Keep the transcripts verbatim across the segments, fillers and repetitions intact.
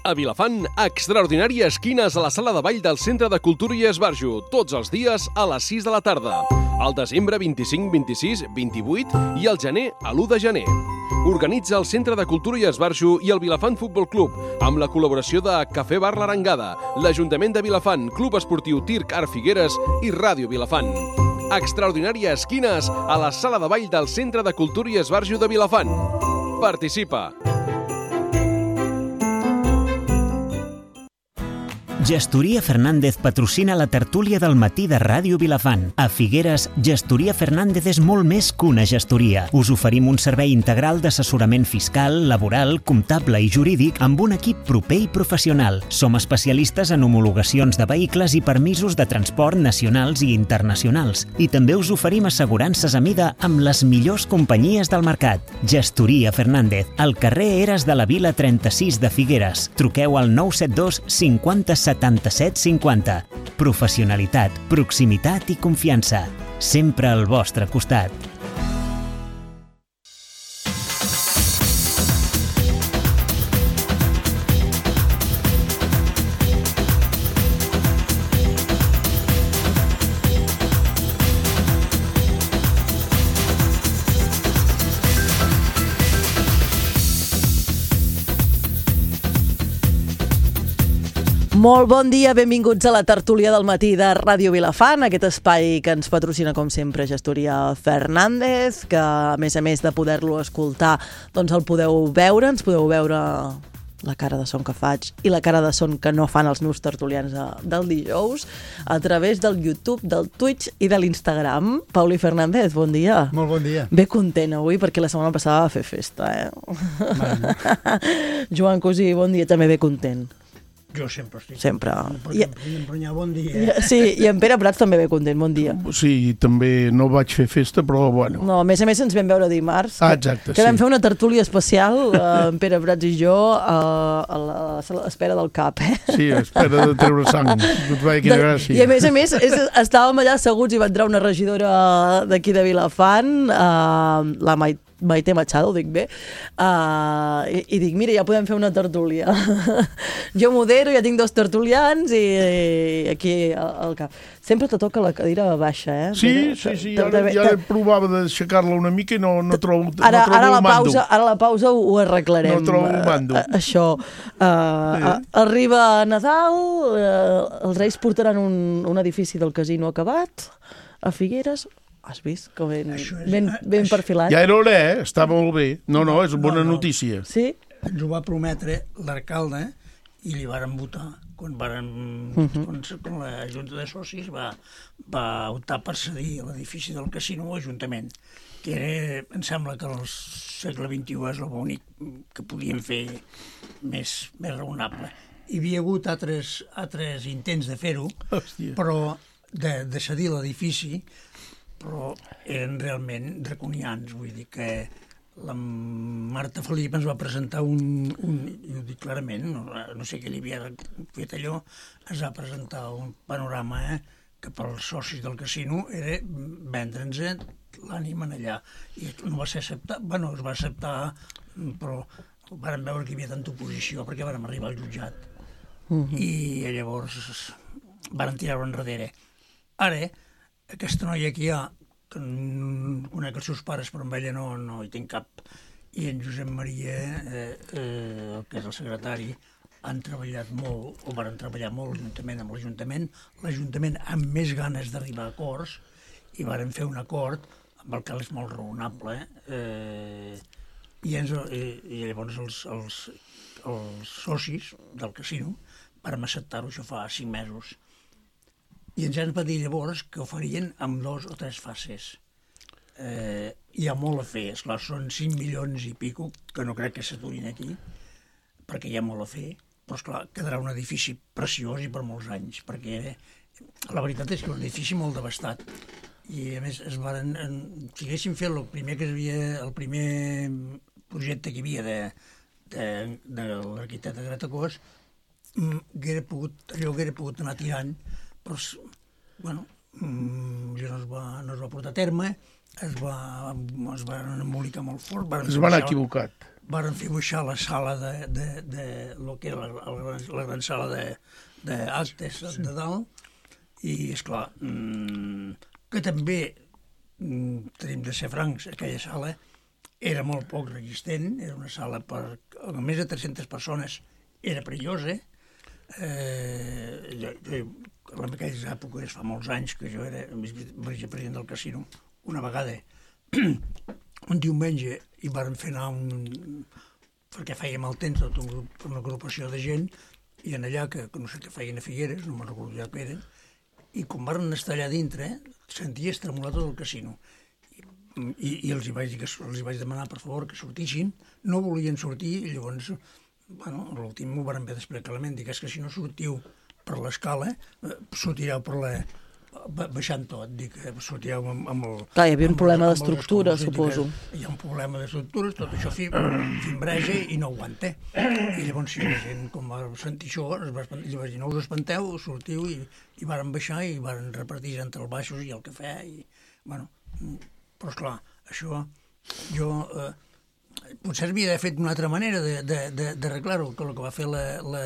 A Vilafant, extraordinàries quines a la sala de ball del Centre de Cultura i Esbarjo, tots els dies a les sis de la tarda. Al desembre vint-i-cinc, vint-i-sis, vint-i-vuit i al gener a l'u de gener. Organitza el Centre de Cultura i Esbarjo i el Vilafant Futbol Club, amb la col·laboració de Cafè Bar l'Arengada, l'Ajuntament de Vilafant, Club Esportiu Tirc Art Figueres i Ràdio Vilafant. Extraordinàries quines a la sala de ball del Centre de Cultura i Esbarjo de Vilafant. Participa! Gestoria Fernández patrocina la tertúlia del matí de Ràdio Vilafant. A Figueres, Gestoria Fernández és molt més que una gestoria. Us oferim un servei integral d'assessorament fiscal, laboral, comptable i jurídic amb un equip proper i professional. Som especialistes en homologacions de vehicles i permisos de transport nacionals i internacionals. I també us oferim assegurances a mida amb les millors companyies del mercat. Gestoria Fernández, al carrer Eres de la Vila trenta-sis de Figueres. Truqueu al nou set dos cinquanta setanta-set cinquanta. Professionalitat, proximitat i confiança. Sempre al vostre costat. Molt bon dia, benvinguts a la tertúlia del matí de Ràdio Vilafant, aquest espai que ens patrocina, com sempre, Gestoria Fernández, que a més a més de poder-lo escoltar, doncs el podeu veure, ens podeu veure la cara de son que faig i la cara de son que no fan els meus tertulians del dijous a través del YouTube, del Twitch i de l'Instagram. Pauli Fernández, bon dia. Molt bon dia. Bé content avui perquè la setmana passada va fer festa, eh? Joan Cosí, bon dia, també bé content. Jo sempre estic. Sempre. I emprenyar, bon dia. Sí, i en Pere Prats també ve content, bon dia. Sí, també no vaig fer festa, però bueno. No, a més a més ens vam veure dimarts. Ah, exacte, que sí. vam fer una tertúlia especial, eh, en Pere Prats i jo, eh, a l'espera del cap, eh? Sí, a espera de treure sang. Quina gràcia. I a més a més, és, estàvem allà asseguts i va entrar una regidora d'aquí de Vilafant, eh, la Maite, Maite Machado, ho dic bé, uh, i, i dic, mira, ja podem fer una tertúlia. Jo modero, ja tinc dos tertulians i, i aquí al, al cap. Sempre te toca la cadira baixa, eh? Sí, sí, sí, ara, ja provava d'aixecar-la una mica i no, no trobo, ara, no trobo ara el la mando. Pausa, ara la pausa ho, ho arreglarem. No trobo el mando. Uh, això. Uh, sí. Arriba Nadal, uh, els Reis portaran un, un edifici del casino acabat a Figueres. Has vist? Que ben, és, ben, ben perfilat. Ja era hora, eh? Està molt bé. No, no, és bona no, no. notícia. Sí? Ens ho va prometre l'alcalde i li varen votar. Quan, varen, uh -huh. quan, quan la Junta de Socis va, va optar per cedir l'edifici del casino a l'Ajuntament, que era, em sembla que al segle vint-i-u és l'únic que podien fer més, més raonable. Hi havia hagut altres, altres intents de fer-ho, però de, de cedir l'edifici, però eren realment draconians. Vull dir que la Marta Felip ens va presentar un, un jo ho dic clarament, no, no sé què li havia fet allò, ens va presentar un panorama eh, que pels socis del casino era vendre'ns l'ànima allà. I no va ser acceptat, bueno, es va acceptar, però vàrem veure que hi havia tanta oposició perquè vàrem arribar al jutjat. Uh -huh. I llavors vàrem tirar-ho enrere. Ara, aquesta noia que hi ha, que conec els seus pares, però amb ella no, no hi tinc cap, i en Josep Maria, eh, eh, que és el secretari, han treballat molt, o van treballar molt juntament amb l'Ajuntament, l'Ajuntament amb més ganes d'arribar a acords, i varen fer un acord amb el que és molt raonable, eh? Eh, i, ens, i, i llavors els, els, els socis del casino vam acceptar-ho, això fa cinc mesos. I ens han dit llavors que ho farien amb dos o tres fases. Eh, hi ha molt a fer, esclar, són cinc milions i pico, que no crec que s'aturin aquí, perquè hi ha molt a fer, però esclar, quedarà un edifici preciós i per molts anys, perquè la veritat és que és un edifici molt devastat. I a més, es varen, en, si haguéssim fet el primer, que havia, el primer projecte que hi havia de, de, de l'arquitecte Gratacós, haguera pogut, allò haguera pogut anar tirant, però bueno, no es va, no es va portar a terme, es va, es va embolicar molt fort. Es van equivocat. varen fer baixar la sala de, de, de lo que era la, la, la gran sala d'actes de, de dalt, i, esclar, mmm, que també, mmm, tenim de ser francs, aquella sala era molt poc resistent, era una sala per a més de tres-centes persones, era perillosa. Eh, jo, jo, en aquelles èpoques, fa molts anys, que jo era vicepresident del casino, una vegada, un diumenge, i vàrem fer anar un... perquè fèiem el temps, tot un grup, una agrupació de gent, i en allà, que, que no sé què feien a Figueres, no me'n recordo ja què eren, i com varen estar allà dintre, senties tremolar tot el casino. I, i els, hi vaig, els hi vaig demanar, per favor, que sortissin. No volien sortir, i llavors, bueno, a l'últim m'ho varen haver d'explicar clarament, dic, és que si no sortiu per l'escala, sortireu per la... baixant tot, dic, sortireu amb, amb el... Clar, hi havia un problema d'estructura, suposo. Hi ha un problema d'estructures, tot això fimbreja i no aguanta. I llavors, si la gent, com va sentir això, es va espantar, llavors, no us espanteu, sortiu, i, i varen baixar, i varen repartir entre els baixos i el cafè, i, bueno... Però, esclar, això, jo... Eh, potser havia fet d'una altra manera d'arreglar-ho, que el que va fer la... la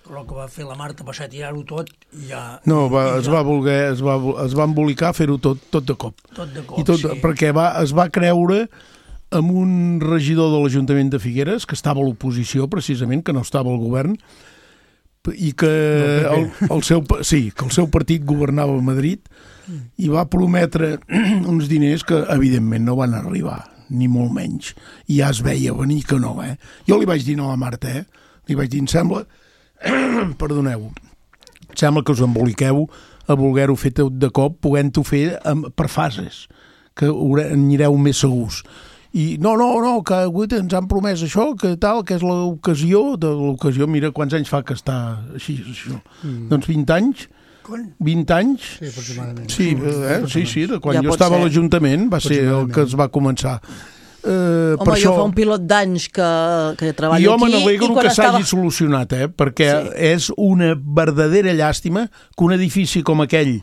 el que va fer la Marta va ser tirar-ho tot i ja... No, va, i es ja... va voler, es va, es va embolicar fer-ho tot, tot de cop. Tot de cop, I tot, sí. Perquè va, es va creure amb un regidor de l'Ajuntament de Figueres, que estava a l'oposició, precisament, que no estava al govern, i que el, el, seu, sí, que el seu partit governava a Madrid, i va prometre uns diners que, evidentment, no van arribar, ni molt menys. I ja es veia venir que no, eh? Jo li vaig dir no a la Marta, eh? Li vaig dir, em sembla... Perdoneu, em sembla que us emboliqueu a voler-ho fer tot de cop, podent-ho fer amb, per fases, que anireu més segurs. I no, no, no, que ens han promès això, que tal, que és l'ocasió, de l'ocasió, mira quants anys fa que està així, això. Mm. Doncs vint anys... vint anys? Sí, aproximadament. Sí, eh? sí, sí, de quan ja jo estava ser. a l'Ajuntament va ser el que es va començar. Uh, home, jo això... fa un pilot d'anys que, que treballo jo aquí... Jo me n'alegro que estava... s'hagi solucionat, eh? Perquè sí. És una verdadera llàstima que un edifici com aquell,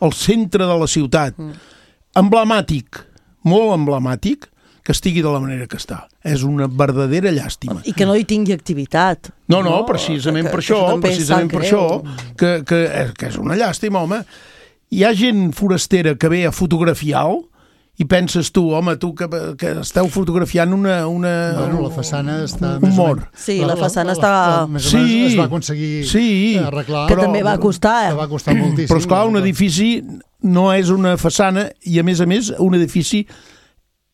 al centre de la ciutat, mm. emblemàtic, molt emblemàtic, que estigui de la manera que està. És una verdadera llàstima. I que no hi tingui activitat. No, no, no precisament que, per això, precisament per això, que, que, que és una llàstima, home. Hi ha gent forastera que ve a fotografiar-ho i penses tu, home, tu que, que esteu fotografiant una... una bueno, la façana està... Un mort. Sí, la, la façana la, està... La, la, més o menys sí, es va aconseguir sí, arreglar. Que però, també va costar, eh? Que va costar moltíssim. Però, esclar, un edifici no és una façana i, a més a més, un edifici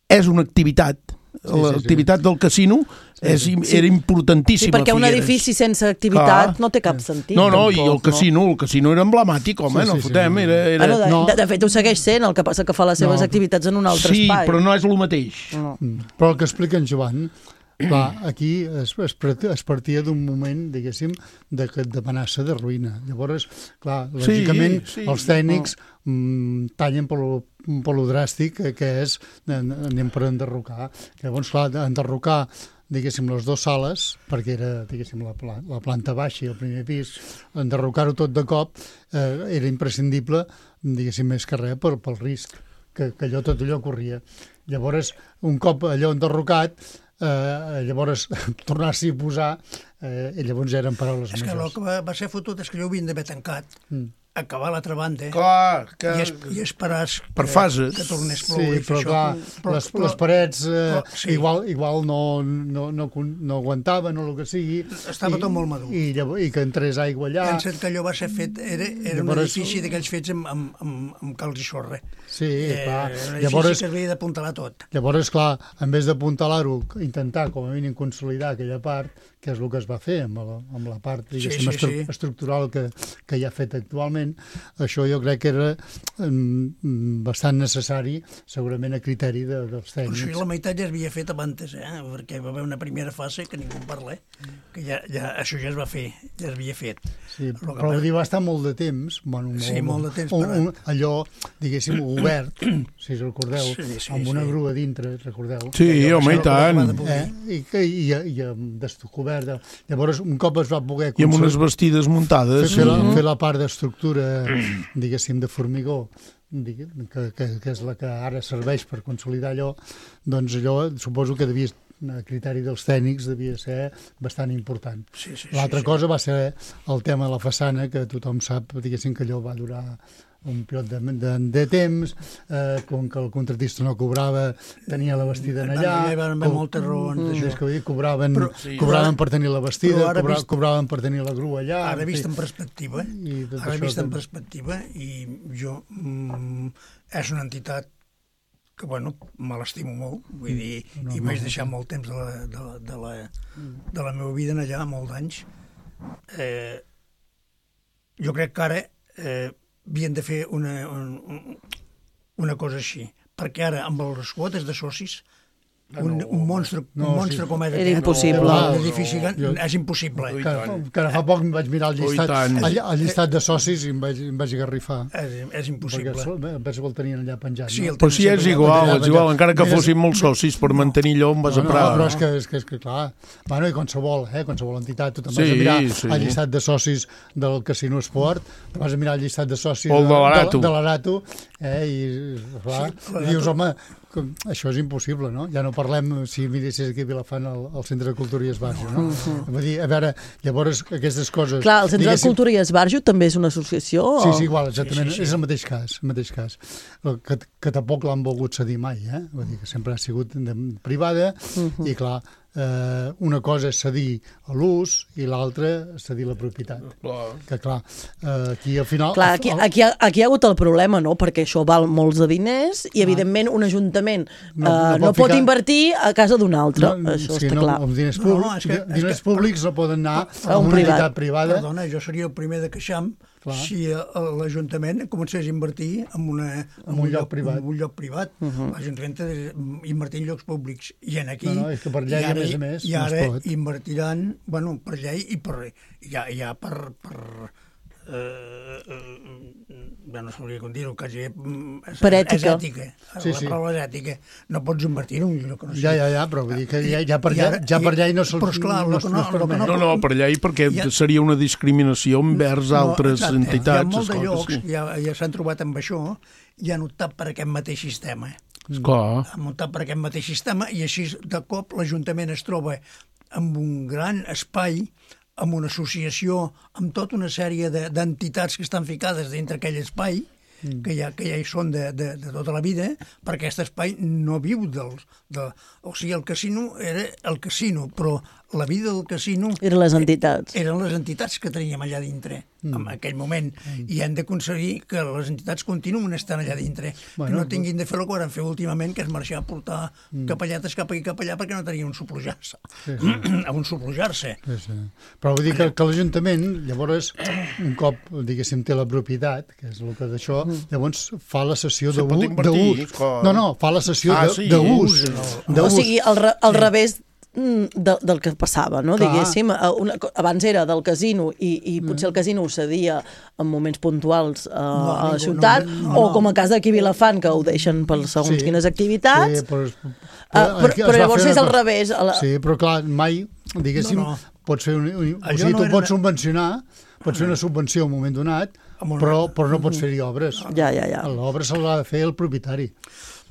és una activitat. Sí, l'activitat sí, sí. del casino és, sí. era importantíssima. Sí, perquè un edifici sense activitat ah. no té cap sentit. No, no, tampoc, i el casino, no? el casino era emblemàtic, home, sí, sí, no fotem. Sí, sí. Era, era... Bueno, de, no. de, de fet, ho segueix sent, el que passa que fa les seves no. activitats en un altre sí, espai. Sí, però no és el mateix. No. Però el que explica en Joan, clar, aquí es, es, es partia d'un moment, diguéssim, d'amenaça de, de ruïna. Llavors, clar, lògicament, sí, sí. els tècnics no. mm, tallen per lo, per lo dràstic que és, anem per enderrocar. Llavors, clar, enderrocar diguéssim, les dues sales, perquè era, diguéssim, la, la planta baixa i el primer pis, enderrocar-ho tot de cop eh, era imprescindible, diguéssim, més que res pel, pel risc que, que allò, tot allò corria. Llavors, un cop allò enderrocat, eh, llavors tornar-s'hi a posar, eh, i llavors ja eren paraules és que el que va, va ser fotut és que jo ho havien d'haver tancat, mm. acabar l'altra banda clar, que... i, es, i esperar per fases. Que, que tornés ploure. Sí, però clar, però, les, però, les parets eh, però, sí. igual, igual no, no, no, no aguantaven o el que sigui. Estava i, tot molt madur. I, i, i que entrés aigua allà. Pensa't que allò va ser fet, era, era un edifici d'aquells fets amb, amb, amb, amb calç i sorra. Sí, eh, clar. Era un llavors, edifici que havia d'apuntalar tot. Llavors, clar, en vez d'apuntalar-ho, intentar com a mínim consolidar aquella part, que és el que es va fer amb la, amb la part sí, sí, estru sí. estructural que, que hi ha fet actualment, això jo crec que era um, bastant necessari, segurament a criteri de, dels tècnics. Però això la meitat ja es havia fet abans, eh? Perquè va haver una primera fase que ningú en parla, que ja, ja, això ja es va fer, ja es havia fet. Sí, però, però va... va estar molt de temps, bueno, molt, sí, molt de temps, un, un, allò, diguéssim, obert, si us recordeu, sí, sí, amb una sí. grua dintre, recordeu? Sí, home, i tant. Eh? I, i, i, i descobert. Llavors, un cop es va poder... I amb unes vestides muntades. Fer, fer, la, fer la part d'estructura, diguéssim, de formigó, que, que, que és la que ara serveix per consolidar allò, doncs allò suposo que devia, a criteri dels tècnics devia ser bastant important. Sí, sí, L'altra sí, sí. cosa va ser el tema de la façana, que tothom sap, diguéssim, que allò va durar un pilot de, de, de temps, eh, com que el contratista no cobrava, tenia la vestida en allà. Hi va haver moltes raons d'això. És que dir, cobraven, Però, sí, cobraven per tenir la vestida, però ara cobra, vist- cobraven per tenir la grua allà. Ara vist en fi. perspectiva, I tot ara això vist en que- perspectiva, i jo, mm, és una entitat que, bueno, me l'estimo molt, vull dir, No, i no, vaig no. deixar molt temps de la, de la, de la, de la meva vida en allà, molts anys. Eh, jo crec que ara eh, havien de fer una, un, una cosa així, perquè ara, amb les quotes de socis, un, un monstre, No, un monstre sí. com és Era aquest, impossible. no, l'edifici que- Jo- és impossible. Ui, Que, tant. que ara fa poc em vaig mirar el Ui, llistat, tant. el, el llistat de socis i em vaig, em vaig agarrifar. És, és Perquè impossible. sol- em penso que el tenien allà penjat. Sí, no? el Però si és igual, és igual, encara que Mira, fossin molts socis, per mantenir allò em vas No, a no, parar. però és que, és que, és que clar, bueno, i qualsevol, eh, qualsevol entitat, tu te'n vas Sí, a mirar sí. el llistat de socis del Casino Esport, te'n vas a mirar el llistat de socis O el de l'Arato. de, de l'Arato, eh, i clar, Sí, i dius, home, com, això és impossible, no? Ja no parlem, si miressis aquí a Vilafant, al, al Centre de Cultura i Esbarjo, no? Vull dir, a veure, llavors, aquestes coses... Clar, el Centre de diguéssim, Cultura i Esbarjo també és una associació? Sí, o- sí, igual, exactament. Sí, sí, sí. És el mateix cas, el mateix cas. El Que, que tampoc l'han volgut cedir mai, eh? Vull dir que sempre ha sigut de, privada i, clar, eh, una cosa és cedir a l'ús i l'altra cedir la propietat. Clar. Que, clar, eh, aquí al final... Clar, aquí, aquí, ha- aquí hi ha hagut el problema, no? Perquè això val molts de diners i, evidentment, un ajuntament No- no, no uh, pot no pot ficar- invertir a casa d'un altre. Això sí, està no, clar. Els diners, No, públics, és que- és diners que- públics no poden anar A a un una privat. entitat privada. Perdona, jo seria el primer de queixam Clar. si eh, l'Ajuntament comencés a invertir en, una, en, un lloc privat. En un lloc privat. Uh -huh. L'Ajuntament té d'invertir en llocs públics. I en aquí... No, no, és que per llei, i ara, a més a més, I no es ara pot. invertiran, bueno, per llei i per, ja, ja per... per eh, eh, ja no sabria com dir-ho, quasi és, Per ètica. és ètica. Sí, la sí. paraula és ètica. No pots invertir en un lloc que no Ja, sigui. ja, ja, però vull dir que ja, ja, per, I ja, ara- ja per i- llei no se'ls però esclar, no, lo es- que no no- es lo que permet. No, no, per llei, perquè Ja- seria una discriminació envers altres exacte. entitats. Hi ha molts de esclar que llocs, sí. ja, ja s'han trobat amb això, i han optat per aquest mateix sistema. Esclar. Han optat per aquest mateix sistema, i així, de cop, l'Ajuntament es troba amb un gran espai, amb una associació, amb tota una sèrie de- d'entitats que estan ficades dintre aquell espai, que ja, que ja hi són de, de, de tota la vida, perquè aquest espai no viu dels... De, o sigui, el casino era el casino, però la vida del casino... Eren les entitats. Eren les entitats que teníem allà dintre, mm. en aquell moment, mm. i hem d'aconseguir que les entitats continuen estant allà dintre, Bueno, que no tinguin de fer el que van fer últimament, que és marxar a portar mm. capelletes cap aquí cap allà perquè no tenien on soplujar-se. Sí, sí. on soplujar-se. Sí, sí. Però vull dir que, que l'Ajuntament, llavors, un cop, diguéssim, té la propietat, que és el que d'això, llavors fa la sessió Se pot d'ús. invertir, clar. No, no, fa la sessió Ah, de- sí, d'ús. O sigui, al, re, al revés mm, de, del que passava, no? Clar. Diguéssim, a una, co- abans era del casino i, i potser el casino ho cedia en moments puntuals a, No, a la ningú, ciutat, no, no, o no. com a cas d'aquí a Vilafant, que ho deixen per segons Sí. quines activitats. Sí, però, Ah, però, aquí es però va llavors fer és una al cosa- revés. A la... Sí, però clar, mai, diguéssim, No, no. pots fer un, un, o Allò sigui, no tu era pots una- subvencionar, pots fer una subvenció en un moment donat, Amb una- però, però no pots fer-hi obres. Ja, ja, ja. L'obra se l'ha de fer el propietari.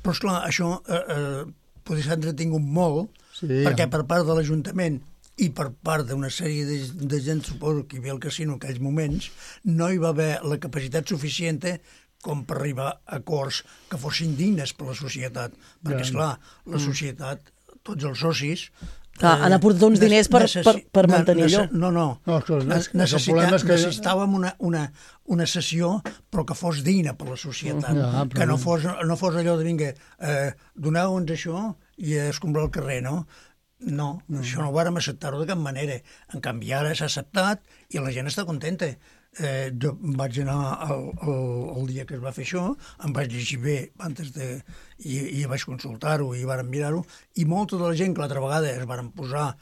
Però, esclar, això eh, eh, potser s'ha entretingut molt, Sí. perquè per part de l'Ajuntament i per part d'una sèrie de, de gent, suposo, que hi havia al casino en aquells moments, no hi va haver la capacitat suficient com per arribar a acords que fossin dignes per la societat. Perquè, Ja. esclar, la societat, tots els socis... Clar, han aportat uns nes- diners per- necessi- per- per ne- mantenir nece- allò. No, no. No, escolta, Ne- és que el necessita- problema és que- Necessitàvem una, una, una sessió, però que fos digna per la societat. Ja, però- que no fos, no fos allò de, vinga, eh, doneu-nos això i escombrar el carrer, no? No, no, això no ho vàrem acceptar-ho de cap manera. En canvi, ara s'ha acceptat i la gent està contenta. Eh, jo vaig anar el, el, el dia que es va fer això, em vaig llegir bé antes de, i, i vaig consultar-ho i vàrem mirar-ho, i molta de la gent que l'altra vegada es varen posar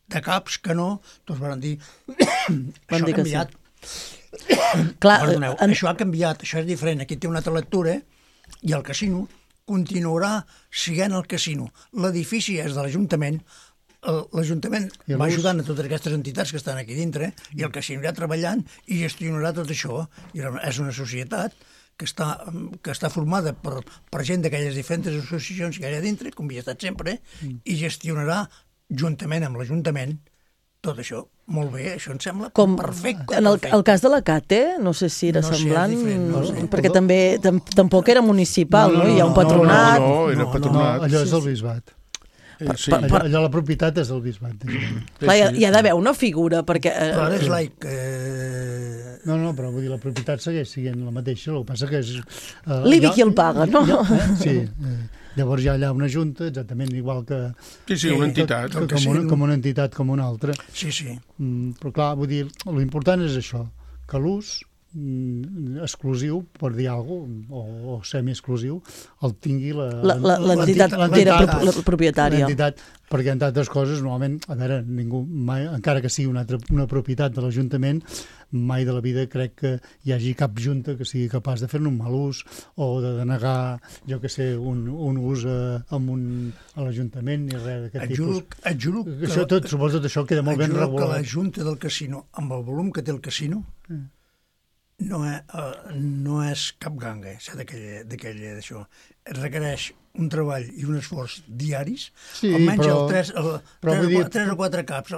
de caps que no, tots varen dir això ha dir que sí. canviat. Clar, Perdoneu, en- això ha canviat, això és diferent. Aquí té una altra lectura i el casino continuarà sent el casino. L'edifici és de l'Ajuntament, el- l'Ajuntament I va l'ús? ajudant a totes aquestes entitats que estan aquí dintre i el casino irà treballant i gestionarà tot això. I és una societat que està, que està formada per, per gent d'aquelles diferents associacions que hi ha dintre, com hi ha estat sempre, mm. i gestionarà juntament amb l'Ajuntament tot això. Molt bé, això em sembla com perfecte. En el, perfecte. el cas de la Cate, no sé si era no semblant, sé, diferent, no sé. perquè també tam, tampoc era municipal, no? no, no, no hi ha un patronat. No, no, no era patronat. No, allò és el bisbat. Eh, sí. Allò, allò la propietat és del bisbat. Clar, hi ha, hi ha d'haver una figura, perquè... Eh, Però ara és laic. Eh... No, no, però vull dir, la propietat segueix sent la mateixa, el que passa que és... Eh, L'I B I qui el paga, no? Ja, eh? Sí, eh, llavors hi ha allà una junta, exactament igual que... Sí, sí, una entitat. Que, que, com, una, com una entitat, com una altra. Sí, sí. Mm, però clar, vull dir, l'important és això, que l'ús mm, exclusiu, per dir alguna cosa, o, o semi-exclusiu, el tingui l'entitat que era pro, la propietària. L'entitat, perquè entre altres coses, normalment, a veure, ningú mai, encara que sigui una, altra, una propietat de l'Ajuntament, mai de la vida crec que hi hagi cap junta que sigui capaç de fer-ne un mal ús o de denegar, jo que sé, un, un ús a, un, a l'Ajuntament ni res d'aquest tipus. Et juro que, això, tot, suposo tot això queda molt ben regulat. que la Junta del Casino, amb el volum que té el casino, mm. no, és, uh, no és cap ganga, eh, d'aquell d'això. Requereix un treball i un esforç diaris, sí, almenys però, el tres, el, però tres, dir... tres o quatre caps,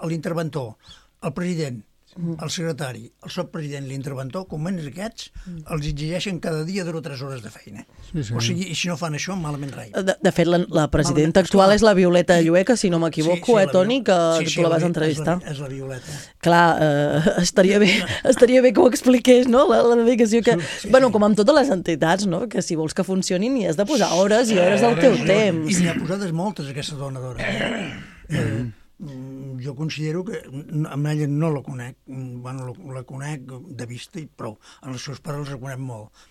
l'interventor, el, el president, el secretari, el subpresident, l'interventor, com menys aquests, els exigeixen cada dia dues o tres hores de feina. Sí, sí. O sigui, i si no fan això, malament rai. De, de fet, la, la presidenta malament, actual és la Violeta Llueca, si no m'equivoco, sí, sí, eh, Toni, que, sí, sí, que tu la vas entrevistar. És la, és la Violeta. Clar, eh, estaria, bé, estaria bé que ho expliqués, no?, la, la dedicació que... Sí, sí, bueno, com amb totes les entitats, no?, que si vols que funcionin hi has de posar hores i hores del teu temps. I n'hi ha posades moltes, aquesta dona d'hora. Eh, jo considero que amb ella no la conec, bueno, la conec de vista i prou. En els seus pares els conec molt.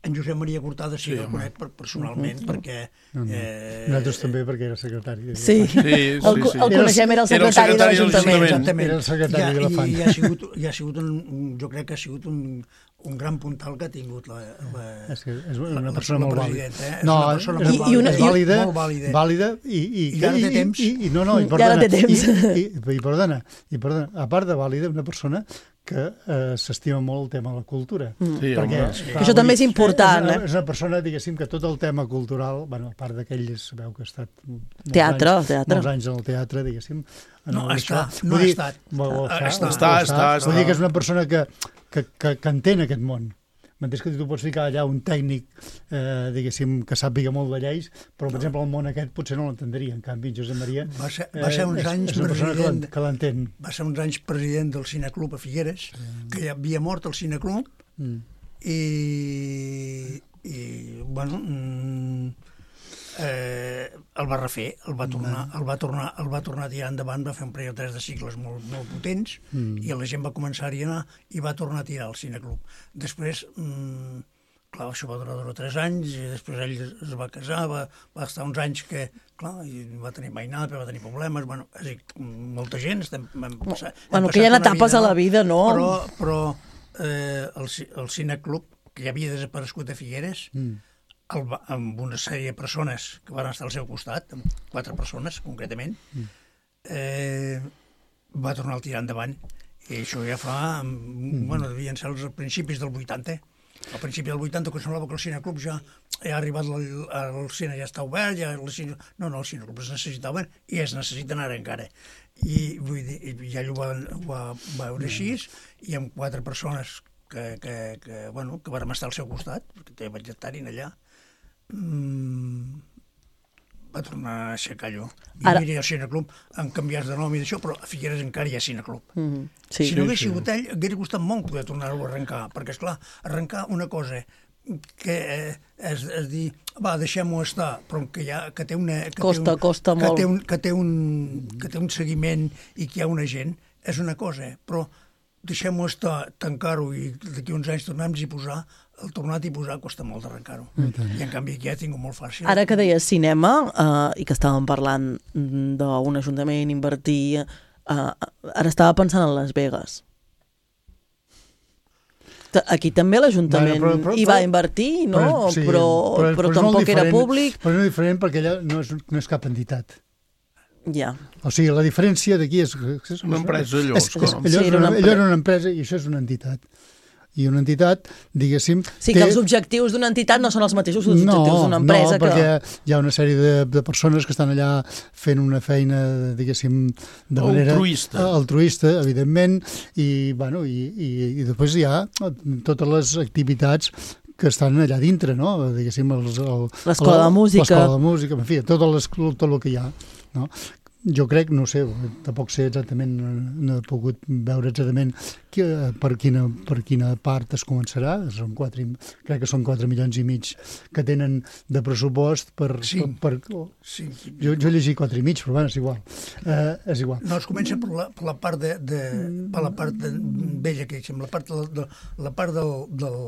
En Josep Maria Cortada sí, sí el conec personalment, uh -huh. perquè... No, no. Eh, Nosaltres també, perquè era secretari. Sí, sí, sí, el, sí. el coneixem, era el secretari, era el secretari de l'Ajuntament. Exactament. Era el secretari I, de l'Elefant. I, i ha sigut, i ha sigut un, jo crec que ha sigut un, un gran puntal que ha tingut la, la, és, que és una la, persona la molt vàlida. Eh? No, és una persona és, molt, i una, vàlida, vàlida, molt vàlida. vàlida i, i, I ara té temps. I, i, no, no, i, I perdona, ara té temps. I, i, i, perdona, i perdona, a part de vàlida, una persona que eh, s'estima molt el tema de la cultura. Mm. Sí, perquè, home, sí. Clar, això també és important. És una, eh? és una persona, diguéssim, que tot el tema cultural, bueno, a part d'aquell, sabeu que ha estat molts teatre, anys, teatre. molts anys en el teatre, diguéssim. No, el, està, això, no ha dir, estat. Bo, Està, està, està, està, està, Vull dir està. que és una persona que, que, que, que entén aquest món. M'entens que tu pots ficar allà un tècnic, eh, diguéssim, que sàpiga molt de lleis, però, per exemple, el món aquest potser no l'entendria. En canvi, Josep Maria va ser, va ser uns eh, anys és, és una persona president, que l'entén. va ser uns anys president del Cineclub a Figueres, mm. que ja havia mort el Cineclub, mm. i, i, bueno, mm, eh, el va refer, el va tornar, el va tornar, el va tornar a tirar endavant, va fer un parell o tres de cicles molt, molt potents, mm. i la gent va començar-hi a anar i va tornar a tirar al Cineclub. Després, mm, clar, això va durar dos o tres anys, i després ell es va casar, va, va estar uns anys que, clar, i va tenir mainada, però va tenir problemes, bueno, és a dir, molta gent estem, vam passar... Bueno, que hi ha etapes a la vida, no? Però, però eh, el, el Cineclub, que ja havia desaparegut a Figueres, mm. el, amb una sèrie de persones que van estar al seu costat, amb quatre persones, concretament, mm. eh, va tornar a tirar endavant. I això ja fa... Mm. Bueno, devien ser els principis del vuitanta. Al principi del vuitanta, que semblava que el Cineclub ja, ja ha arribat, el, el cine ja està obert, ja el cine... no, no, el Cineclub es necessitava i es necessiten ara encara. I vull dir, ja ell ho va, ho va veure així, i amb quatre persones que, que, que, bueno, que vam estar al seu costat, perquè també vaig estar-hi allà, mmm, va tornar a aixecar allò. I ara... mira, el Cineclub han canviat de nom i d'això, però a Figueres encara hi ha Cineclub. Mm -hmm. sí, si no hagués sí, sigut ell, hauria costat molt poder tornar-ho a arrencar, perquè, esclar, arrencar una cosa que eh, és, és dir, va, deixem-ho estar, però que, ha, que té una... Que costa, té un, costa que molt. Té un, que, té un, que té un seguiment i que hi ha una gent, és una cosa, però deixem-ho estar, tancar-ho i d'aquí uns anys tornem-hi a posar, el tornat i posar costa molt d'arrencar-ho. Mm. I en canvi aquí ja tinc molt fàcil. Ara que deies cinema, eh, i que estàvem parlant d'un ajuntament, invertir, eh, ara estava pensant en Las Vegas. Aquí també l'Ajuntament bueno, però, però, hi va invertir, no? Però, sí, però, però, però tampoc era públic. Però no és diferent perquè allà no és, no és cap entitat. Ja. O sigui, la diferència d'aquí és... és una empresa, allò. És, és, allò, sí, era una, allò era una empresa i això és una entitat. i una entitat, diguéssim... Sí, que els objectius d'una entitat no són els mateixos que els no, objectius d'una empresa. No, perquè hi ha una sèrie de, de persones que estan allà fent una feina, diguéssim, de manera... Altruista. Altruista, evidentment, i, bueno, i, i, i després hi ha totes les activitats que estan allà dintre, no? Diguéssim, l'escola de música. L'escola de música, en fi, tot, les, tot el que hi ha, no? Jo crec, no sé, tampoc sé exactament, no he pogut veure exactament que, per, quina, per quina part es començarà. Són quatre, crec que són quatre milions i mig que tenen de pressupost per... Sí. per, per oh, sí. Jo, jo he llegit quatre i mig, però bueno, és igual. Eh, és igual. No, es comença per la, per la part de, de per la part de, vella que diguem, la part de, de, la part del, del,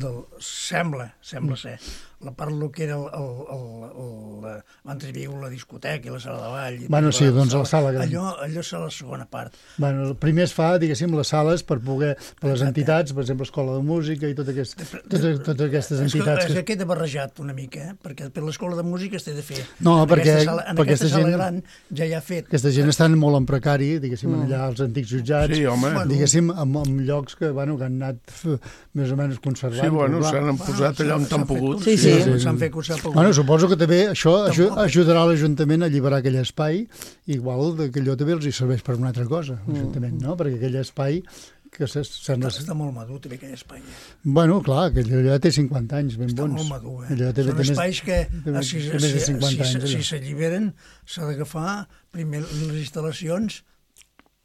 del sembla, sembla ser, la part del que era el, el, el, el, abans hi havia la discoteca i la sala de ball. Bueno, sí, doncs la sala gran. Allò, allò és la segona part. Bueno, primer es fa, diguéssim, les sales per poder, per les entitats, per exemple, Escola de Música i tot aquest, totes, totes aquestes entitats. És que, que queda barrejat una mica, eh? Perquè per l'Escola de Música es té de fer. No, en perquè, aquesta sala, en perquè aquesta, aquesta sala gent, gran ja hi ha fet. Aquesta gent estan molt en precari, diguéssim, mm. allà als antics jutjats, sí, home. diguéssim, en, en llocs que, bueno, que han anat més o menys conservant. Sí, bueno, s'han posat allà on t'han pogut. Sí, sí. sí, s'han fet que s'ha pogut. Bueno, suposo que també això ajudarà l'Ajuntament a alliberar aquell espai, igual que allò també els hi serveix per una altra cosa, l'Ajuntament, no? Perquè aquell espai que sembla... Està, està molt madur, també, aquell espai. Bueno, clar, que allò té cinquanta anys ben està bons. Està molt madur, eh? Allò té, són té espais que, té, si, té més de cinquanta si, anys, si s'alliberen, s'ha d'agafar primer les instal·lacions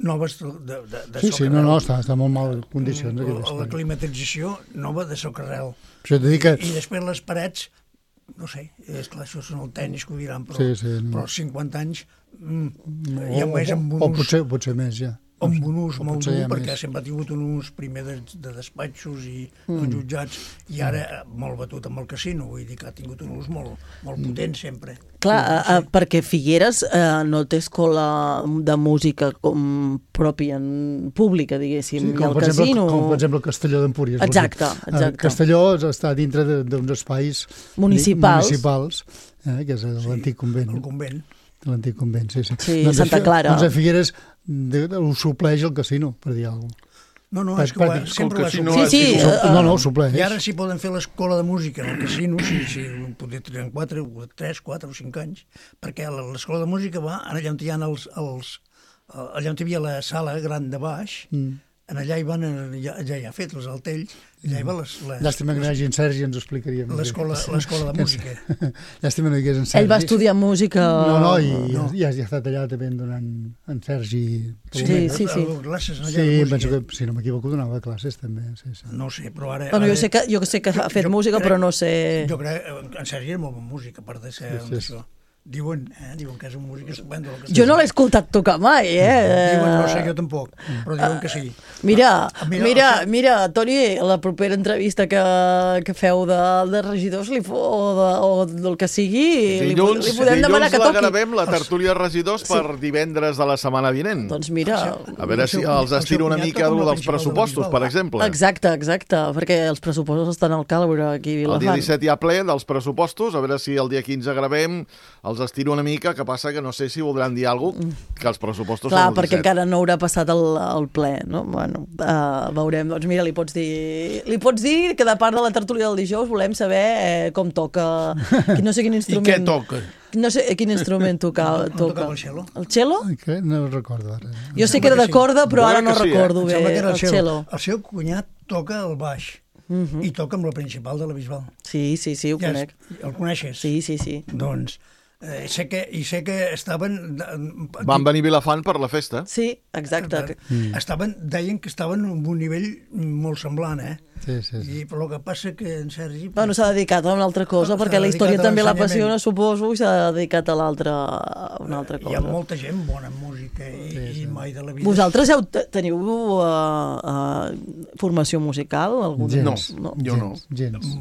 noves de, de, de sí, sí, no, no, està, està molt mal en condicions. La, la climatització nova de socarrel. Això t'he dit que... I després les parets, no sé, és clar, això són el tenis que ho diran, però, sí, sí, no. però cinquanta anys mm, o, ja més amb un o, o potser, potser més, ja. amb un ús molt dur, perquè més. sempre ha tingut un ús primer de, de despatxos i mm. els jutjats, i ara molt batut amb el casino, vull dir que ha tingut un ús molt, molt potent sempre. Clar, sí, sí. Uh, perquè Figueres uh, no té escola de música com pròpia, pública, diguéssim, sí, i el per exemple, casino... Com per exemple Castelló d'Empúries. Exacte, exacte. Castelló està dintre d'uns espais municipals, municipals eh, que és l'antic convent. El convent. L'antic convent, sí, sí. Sí, doncs Santa Clara. Doncs a Figueres ho supleix el casino, per dir alguna cosa. No, no, és que ho ha, sempre ho ha supleix. Sí, sí. Uh, no, no, ho supleix. I ara sí poden fer l'escola de música en el casino, si, si poder triar quatre, tres, quatre o cinc anys, perquè l'escola de música va allà on hi ha els, els, allà on hi havia la sala gran de baix, mm. en allà hi van, ja, ja hi ha fet els altells, allà hi va les... les Llàstima que no hi hagi en Sergi, ens ho explicaria. L'escola de música. Llàstima no hi hagués en Sergi. Ell va estudiar música... No, no, i no. Ja, ja ha estat allà també donant en Sergi... Sí, sí, sí. Sí, classes allà sí penso que, si no m'equivoco, donava classes també. Sí, sí. No sé, però ara... Bueno, ara... jo, sé que, jo sé que ha fet jo música, crec, però no sé... Jo crec que en Sergi era molt bon músic, a part de ser sí, sí, això. Diuen, eh? Diuen que és un músic estupendo. Jo no l'he escoltat tocar mai, eh? Diuen, no sé, jo tampoc, però diuen que sí. Mira, mira, mira, mira, Toni, la propera entrevista que, que feu de, de regidors li, o, de, o del que sigui, dilluns, li, li podem demanar que toqui. Dilluns la gravem, la tertúlia de regidors, sí. per divendres de la setmana vinent. Doncs mira... A veure si els estiro una mica dels pressupostos, per exemple. Exacte, exacte, perquè els pressupostos estan al càlbre aquí a Vilafant. El dia disset hi ha ple dels pressupostos, a veure si el dia quinze gravem, els estiro una mica, que passa que no sé si voldran dir alguna cosa, que els pressupostos clar, són el perquè disset. Encara no haurà passat el, el ple, no? Bueno, uh, veurem. Doncs mira, li pots dir li pots dir que de part de la tertúlia del dijous volem saber eh, com toca, no sé quin instrument... I què toca? No sé quin instrument toca. No tocava el cello. El cello? Que no recordo ara. Jo sé que era de corda, però ara no sí, recordo eh? bé el, el cello. El seu cunyat toca el baix. Uh -huh. I toca amb la principal de la Bisbal. Sí, sí, sí, ho ja conec. És, el coneixes? Sí, sí, sí. Doncs eh, sé que, i sé que estaven... Van venir a Vilafant per la festa. Sí, exacte. Mm. Estaven, deien que estaven en un nivell molt semblant, eh? Sí, sí, sí. I, però el que passa que en Sergi... Bueno, s'ha dedicat a una altra cosa, no, perquè la història també l'apassiona, suposo, i s'ha dedicat a l'altra a una altra cosa. Hi ha molta gent bona en música i, sí, sí. i mai de la vida... Vosaltres heu, teniu uh, uh, formació musical? Algun... Gens. No, jo no. Gens.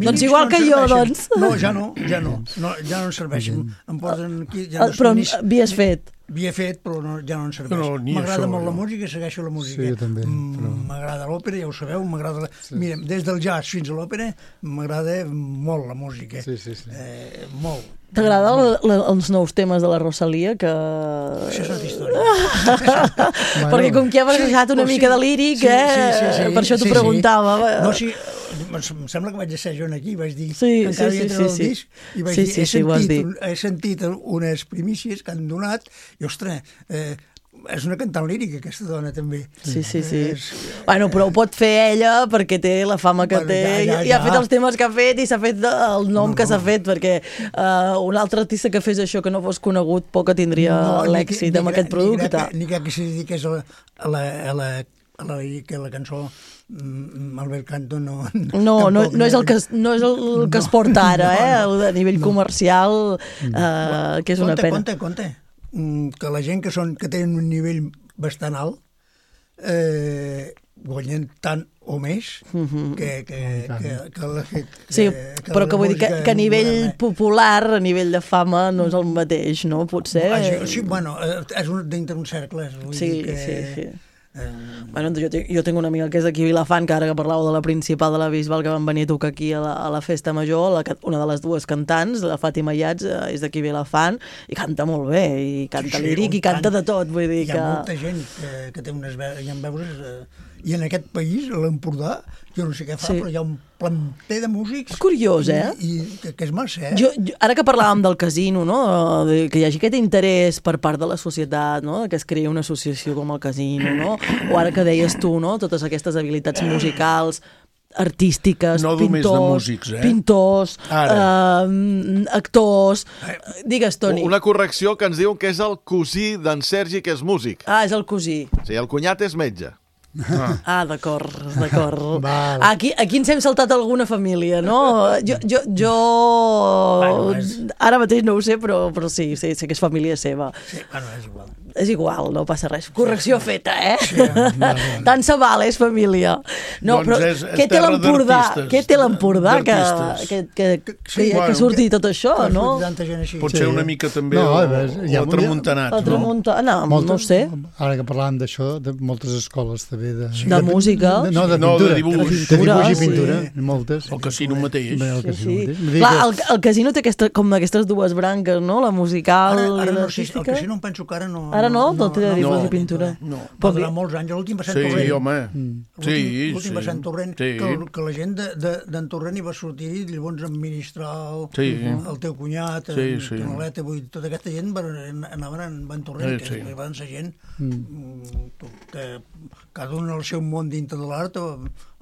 Doncs igual que jo, doncs. No, ja no, ja no. no ja no em serveixen. Em posen aquí... Ja no però havies fet? havia fet, però no, ja no en serveix. No, ni m'agrada això, molt no. la música, segueixo la música. Sí, jo també, però- M'agrada l'òpera, ja ho sabeu, m'agrada... Sí. Mira, des del jazz fins a l'òpera m'agrada molt la música. Sí, sí, sí. Eh, molt. T'agraden els nous temes de la Rosalia? Que... Això és altra història. Perquè com que ha barrejat una Sí, mica sí. de líric, Sí, eh? sí, sí, sí, per això t'ho sí, sí. preguntava. No, sí, em sembla que vaig ser jo aquí, vaig dir Sí, que encara sí, havia sí, tret el sí, sí. disc i vaig Sí, dir, sí, he, sí, ho has sentit, dit. he sentit unes primícies que han donat i, ostres, eh, és una cantant lírica, aquesta dona, també. Sí, sí, sí. És, Bueno, però ho pot fer ella perquè té la fama que Bueno, té ja, ja, i ha ja. fet els temes que ha fet i s'ha fet el nom No, que s'ha no. fet, perquè uh, un altre artista que fes això que no fos conegut poc que tindria ni l'èxit que- amb ni aquest que- producte. Ni que, ni que, que s'hi dediqués a la, a la, a la, a la, que la cançó mm, Albert Canto no... No, no, tampoc, no, és el que, es- no és el que es porta ara, eh? El de nivell comercial, uh, que és una Compte, pena. compte, compte, mm, que la gent que, són, que tenen un nivell bastant alt eh, guanyen tant o més que, que, que, que, la, que, Sí, que però la que vull dir que, música que a nivell moderna. popular, a nivell de fama, no és el mateix, no? Potser... Ah, sí, sí, bueno, eh, és un, dintre un cercle. Vull Sí, dir que, sí, sí. Eh, Bueno, jo, tinc- jo tinc una amiga que és d'aquí a Vilafant, que ara que parlàveu de la principal de la Bisbal, que van venir a tocar aquí a la, a la festa major, la, ca- una de les dues cantants, la Fàtima Iats, eh, és d'aquí a Vilafant, i canta molt bé, i canta sí, líric, i i canta tant. de tot, vull dir Hi que... ha molta gent que, que té unes veus, hi ha veus eh, i en aquest país, a l'Empordà, jo no sé què fa, Sí. però hi ha un planter de músics... És curiós, eh? I, i que, que és massa, eh? Jo, jo, ara que parlàvem del casino, no? De, que hi hagi aquest interès per part de la societat, no? Que es creï una associació com el casino, no? O ara que deies tu, no? Totes aquestes habilitats musicals, artístiques, No només pintors, de músics, eh? pintors, Ara. eh, actors... Digues, Toni. Una correcció que ens diuen que és el cosí d'en Sergi, que és músic. Ah, és el cosí. O sigui, el cunyat és metge. Ah, d'acord, d'acord. Val. Aquí, aquí ens hem saltat alguna família, no? Jo, jo, jo... Bueno, és- Ara mateix no ho sé, però, però sí, sí, sé que és família seva. Sí, bueno, és igual. És igual, no passa res. Correcció feta, eh? Sí, vale, Tant se val, és família. No, Doncs però és- és què té terra l'Empordà? d'artistes, Què té l'Empordà que, d'artistes. que, que, que, Sí, que, bueno, que surti tot això, Que no? surti tanta gent així. Pot Sí. ser una mica també No, no, a veure, hi ha- o tramuntanat, El no? Tramuntana, no ho sé. Ara que parlàvem d'això, de moltes escoles també de... De música. De, no, de No, de pintura. dibuix. De Pintura, dibuix i sí. pintura, moltes. El casino mateix. Bé, el Sí, casino sí. mateix. Vull dir Clar, que- el, el casino té aquesta, com aquestes dues branques, no? La musical Ara, i ara no sé, el l'artística. casino em penso que ara no... Ara no? No té de dibuix i pintura. No. Va durar molts anys, l'últim va ser Sí, Torrent. home. Sí, L'últim l'últim sí. va ser en Torrent, Sí. que, el- que la gent de- de- d'en Torrent hi va sortir i llavors administrar el, Sí. el teu cunyat, Sí, en sí. Tonaleta, vull dir, tota aquesta gent van, anaven en Van Torrent, Sí, que sí. van ser gent mm, que cada un al seu món dintre de l'art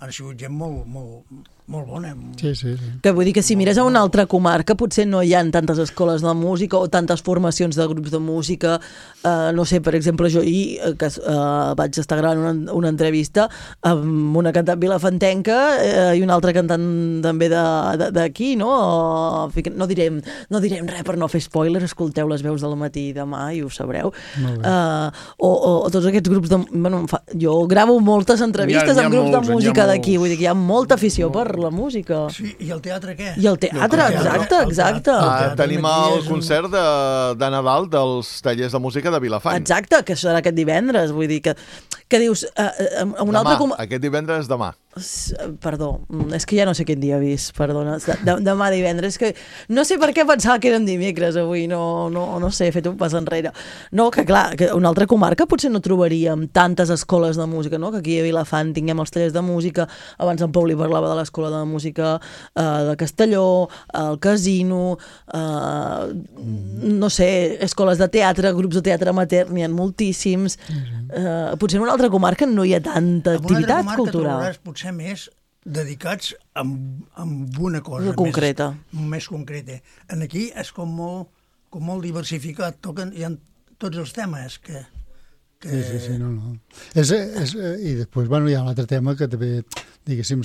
han sigut gent molt, molt, molt bona. Sí, sí, sí. Que vull dir que si mires a una altra comarca potser no hi ha tantes escoles de música o tantes formacions de grups de música. Uh, no sé, per exemple, jo ahir eh, que uh, vaig estar gravant una, una entrevista amb una cantant vilafantenca uh, i una altra cantant també de- de- d'aquí, no? Uh, no, direm, no direm res per no fer spoiler, escolteu les veus del matí i demà i ho sabreu. Molt bé. Uh, o, o, o tots aquests grups de... Bueno, em fa, jo gravo moltes entrevistes N'hi ha- n'hi ha amb grups molts, de n'hi ha música molts. d'aquí, vull dir que hi ha molta afició per la música. Sí, i el teatre què? I el teatre, El teatre, exacte, el exacte. teatre. Ah, teatre tenim aquí el és un- concert de, de Nadal dels tallers de música de Vilafant. Exacte, que serà aquest divendres, vull dir que, que dius, uh, uh, un Demà, altre... Com... aquest divendres demà. S- Perdó, mm, és que ja no sé quin dia he vist, perdona, de, de, demà divendres, que no sé per què pensava que érem dimecres avui, no, no, no sé, he fet un pas enrere. No, que clar, que una altra comarca potser no trobaríem tantes escoles de música, no? Que aquí a Vilafant tinguem els tallers de música, abans en Pau li parlava de l'escola de música eh, de Castelló, el casino, eh, no sé, escoles de teatre, grups de teatre amateur, n'hi ha moltíssims. Eh, potser en una altra comarca no hi ha tanta En una altra activitat comarca cultural. trobaràs potser més dedicats a, a una cosa Una concreta. Més, més concreta. En aquí és com molt, com molt diversificat, toquen, hi ha tots els temes que... que... Sí, sí, sí, no, no. És, és, I després, bueno, hi ha un altre tema que també diguéssim,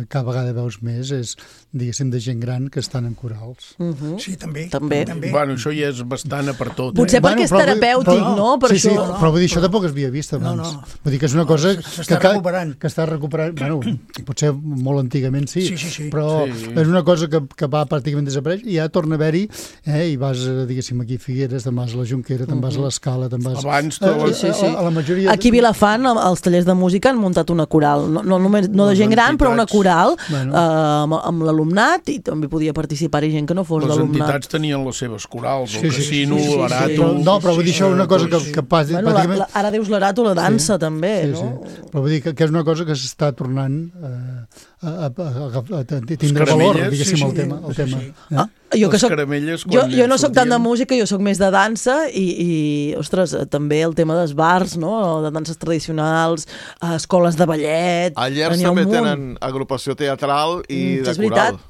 cada vegada veus més és, diguéssim, de gent gran que estan en corals. Uh-huh. Sí, també. També. també. Bueno, això ja és bastant a per tot. Potser eh? perquè és Bueno, però- terapèutic, però- no? Per sí, això... sí, no, però vull dir, això però- tampoc es havia vist abans. No, no. Vull dir que és una cosa s'està que, que, recuperant. que està recuperant, bueno, potser molt antigament sí, Sí, sí, sí. però Sí. és una cosa que, que va pràcticament desaparèixer i ja torna a haver-hi, eh, i vas, eh, diguéssim, aquí a Figueres, te'n vas a la Jonquera, te'n vas a l'Escala, te'n vas... Abans a, de la- a, Sí, sí. a, a la majoria... Aquí a Vilafant, als tallers de música, han muntat una coral. No, no, només, no de Les gent gran, però una entitats. coral Bueno. eh, amb, amb l'alumnat, i també podia participar-hi gent que no fos Les d'alumnat. entitats tenien les seves corals, Sí, el sí, casino, sí, sí, sí, l'arato... sí. Però, no, però vull dir, això és una cosa que, que pas, Bueno, la, pràcticament... la, ara dius l'arato, la dansa, també, Sí, no? sí. Però vull dir que, que és una cosa que s'està tornant eh, a, a, a, a, a tindre caramelles, valor, diguéssim, sí, sí, el tema. El sí, tema. sí. Eh? Ah, jo, que Les soc, caramelles, jo, quan jo no sóc tant de sortien- música, jo sóc més de dansa i, i ostres, també el tema dels bars, no? De danses tradicionals, eh, escoles de ballet... A Llers n'hi ha un també munt. tenen agrupació teatral i Mm, de és veritat. coral.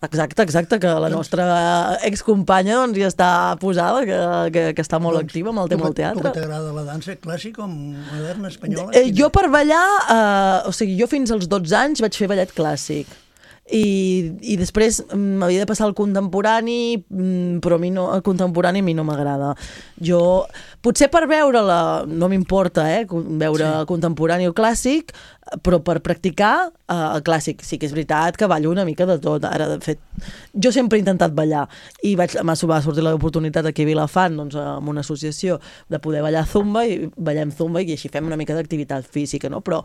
Exacte, exacte, que la nostra excompanya doncs, ja està posada, que, que, que està molt activa amb el tema del Tu teatre. que t'agrada la dansa clàssica o moderna, espanyola? Eh, jo per ballar, eh, o sigui, jo fins als dotze anys vaig fer ballet clàssic. I, i després mm, m'havia de passar al contemporani, mm, però a mi no, el contemporani a mi no m'agrada. Jo, potser per veure-la, no m'importa, eh, veure sí. contemporani o clàssic, però per practicar eh, el clàssic. Sí que és veritat que ballo una mica de tot. Ara, de fet, jo sempre he intentat ballar i vaig, m'ha va sortir l'oportunitat aquí a Vilafant, doncs, amb una associació, de poder ballar zumba, i ballem zumba i així fem una mica d'activitat física, no? Però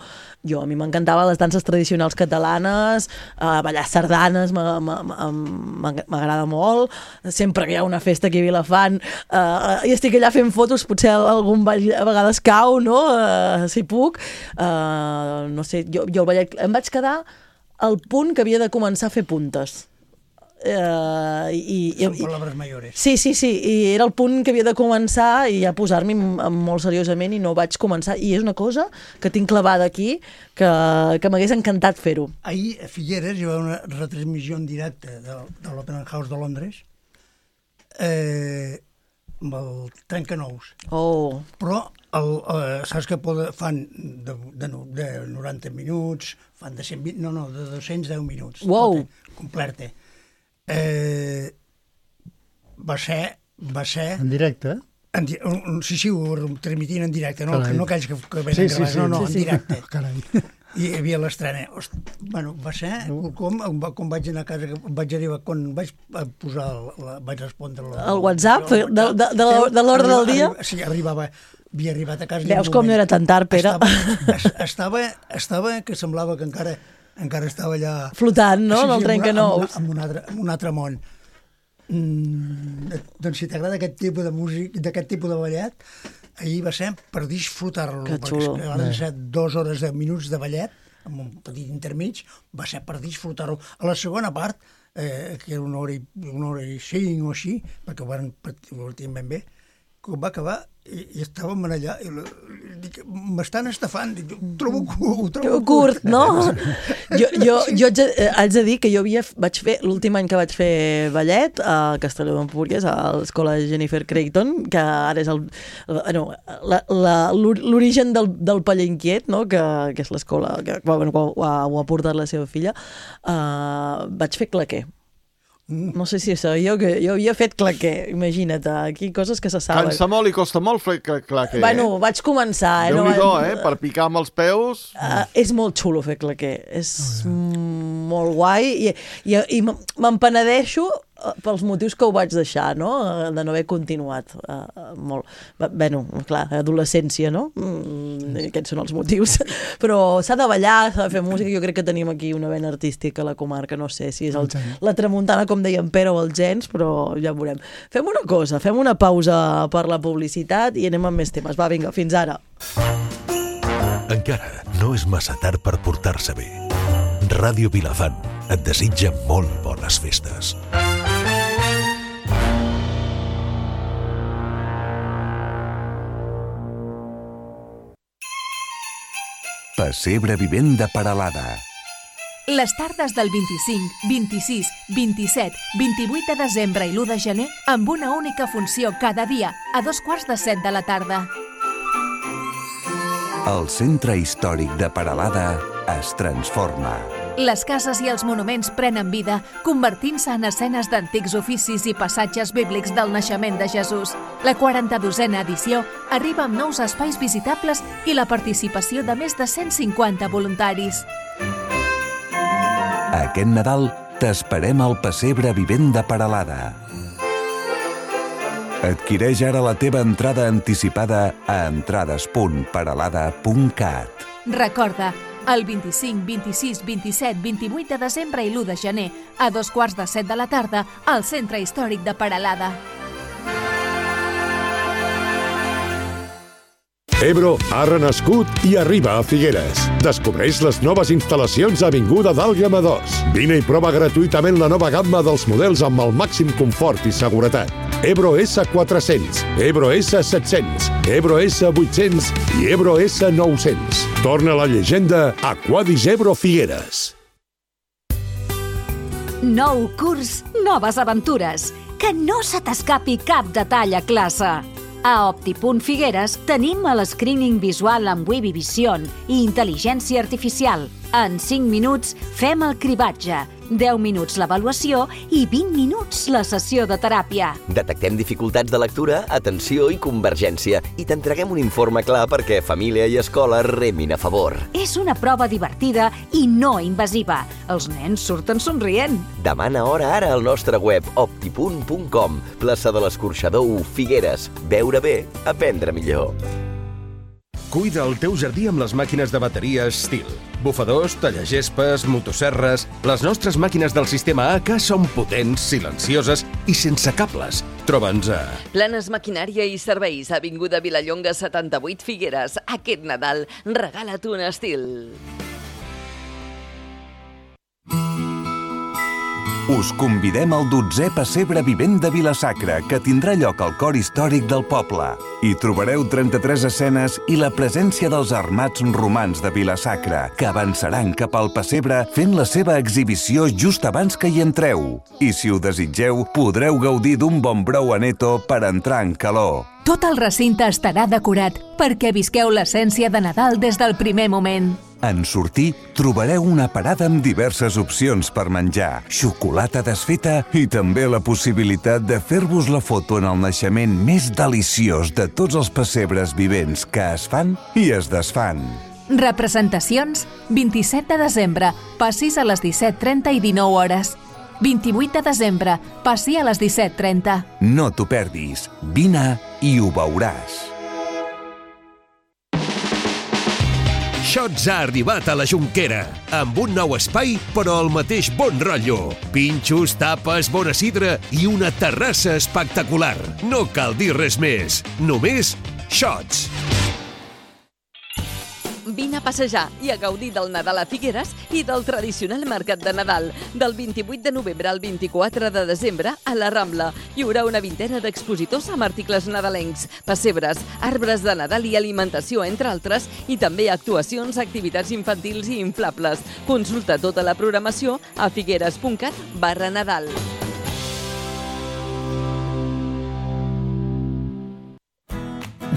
jo, a mi m'encantava les danses tradicionals catalanes, eh, ballar sardanes m'a- m'a- m'a- m'agrada molt, sempre que hi ha una festa aquí a Vilafant eh, i estic allà fent fotos, potser algun ball a vegades cau, no? Eh, si puc. Eh, no sé, jo, jo el ballet, em vaig quedar al punt que havia de començar a fer puntes. Uh, i, Són i, paraules mayores. sí, sí, sí, i era el punt que havia de començar i a posar-m'hi molt seriosament i no vaig començar, i és una cosa que tinc clavada aquí que, que m'hagués encantat fer-ho. Ahir a Figueres hi va haver una retransmissió en directe de, de l'Open House de Londres eh, amb el trencanous. Oh, Però el, eh, saps que poden, fan de, de, de noranta minuts, fan de cent vint, no, no, de dos-cents deu minuts. Wow. Tota, completa. Eh, va ser... Va ser En directe? en, di- un- un- sí, sí, ho transmitien en directe, no, Carai. no aquells que, que venen Sí, sí, gravats, sí. no, no, Sí, en sí. directe. Carai. I hi havia l'estrena. Host- Bueno, va ser com, com vaig anar a casa, vaig arribar, quan vaig posar, la, vaig respondre... La, El WhatsApp, de- de- de- de la- de l'ordre del dia? Arriba, sí, arribava, havia arribat a casa... veus com no era tan tard, Pere? Estava, es- estava, estava que semblava que encara, encara estava allà... Flotant, no?, en el en, trencanous. en, un altre, en un altre món. Mm, doncs si t'agrada aquest tipus de música, d'aquest tipus de ballet, ahir va ser per disfrutar-lo, Que perquè xulo. és que van ser dues hores de minuts de ballet, amb un petit intermig, va ser per disfrutar-lo. A la segona part, eh, que era una hora, i, una hora i cinc o així, perquè ho van partir ben bé, quan va acabar i, i estàvem allà i, la- i dic, m'estan estafant, dic, ho trobo, ho trobo Curt, no? Jo, jo, jo haig de, eh, haig de dir que jo havia, vaig fer, l'últim any que vaig fer ballet a Castelló d'Empúries, a l'escola Jennifer Creighton, que ara és el, no, la- la- l'origen del, del Paller Inquiet, no? que, que és l'escola que bueno, ho, ha, ho ha portat la seva filla, uh, vaig fer claquer. No sé si sabíeu que jo havia fet claquer, imagina't, aquí coses que se saben. Cansa molt i costa molt fer clar, clar que... Bueno, vaig començar. Eh? Déu-n'hi-do, va- eh? Per picar amb els peus... Uh, és molt xulo fer claquer, és mm, molt guai i, i, i m- me'n penedeixo uh, pels motius que ho vaig deixar, no? Uh, de no haver continuat. Uh, uh, molt. Bé, bueno, clar, adolescència, no? Mm, aquests són els motius. Però s'ha de ballar, s'ha de fer música, jo crec que tenim aquí una vena artística a la comarca, no sé si és el, la tramuntana, com deia en Pere, o el gens, però ja ho veurem. Fem una cosa, fem una pausa per la publicitat i anem amb més temes. Va, vinga, fins ara. Encara no és massa tard per portar-se bé. Ràdio Vilafant et desitja molt bones festes. Pessebre vivent de Peralada. Les tardes del vint-i-cinc, vint-i-sis, vint-i-set, vint-i-vuit de desembre i l'u de gener amb una única funció cada dia, a dos quarts de set de la tarda. El centre històric de Peralada es transforma. Les cases i els monuments prenen vida, convertint-se en escenes d'antics oficis i passatges bíblics del naixement de Jesús. La quaranta-dosena edició arriba amb nous espais visitables i la participació de més de cent cinquanta voluntaris. Aquest Nadal t'esperem al pessebre vivent de Peralada. Adquireix ara la teva entrada anticipada a entrades punt peralada punt cat. Recorda, el vint-i-cinc, vint-i-sis, vint-i-set, vint-i-vuit de desembre i l'u de gener, a dos quarts de set de la tarda, al Centre Històric de Peralada. Ebro ha renascut i arriba a Figueres. Descobreix les noves instal·lacions a Avinguda d'Àlguema dos. Vine i prova gratuïtament la nova gamma dels models amb el màxim confort i seguretat. Ebro esse quatre-cents, Ebro esse set-cents, Ebro esse vuit-cents i Ebro esse nou-cents. Torna la llegenda a Quadis Ebro Figueres. Nou curs, noves aventures. Que no se t'escapi cap detall a classe. A Optipunt Figueres tenim el screening visual amb Webby Vision i intel·ligència artificial. En cinc minuts fem el cribatge, deu minuts l'avaluació i vint minuts la sessió de teràpia. Detectem dificultats de lectura, atenció i convergència i t'entreguem un informe clar perquè família i escola remin a favor. És una prova divertida i no invasiva. Els nens surten somrient. Demana hora ara al nostre web optipunt punt com, plaça de l'Escorxador u, Figueres. Veure bé, aprendre millor. Cuida el teu jardí amb les màquines de bateria Stihl. Bufadors, tallagespes, motosserres... Les nostres màquines del sistema A K són potents, silencioses i sense cables. Troba'ns a... Planes Maquinària i Serveis, avinguda Vilallonga setanta-vuit, Figueres. Aquest Nadal, regala't un Stihl. Us convidem al dotzè pessebre vivent de Vila-sacra, que tindrà lloc al cor històric del poble. Hi trobareu trenta-tres escenes i la presència dels armats romans de Vila-sacra, que avançaran cap al pessebre fent la seva exhibició just abans que hi entreu. I si ho desitgeu, podreu gaudir d'un bon brou aneto per entrar en calor. Tot el recinte estarà decorat perquè visqueu l'essència de Nadal des del primer moment. En sortir, trobareu una parada amb diverses opcions per menjar, xocolata desfeta i també la possibilitat de fer-vos la foto en el naixement més deliciós de tots els pessebres vivents que es fan i es desfan. Representacions, vint-i-set de desembre, passis a les disset trenta i dinou hores. vint-i-vuit de desembre, passi a les disset trenta. No t'ho perdis, vine i ho veuràs. Shots ha arribat a la Jonquera, amb un nou espai, però el mateix bon rotllo. Pinxos, tapes, bona sidra i una terrassa espectacular. No cal dir res més, només Shots. Vine a passejar i a gaudir del Nadal a Figueres i del tradicional mercat de Nadal. Del vint-i-vuit de novembre al vint-i-quatre de desembre a la Rambla. Hi haurà una vintena d'expositors amb articles nadalencs, pessebres, arbres de Nadal i alimentació, entre altres, i també actuacions, activitats infantils i inflables. Consulta tota la programació a figueres punt cat barra Nadal.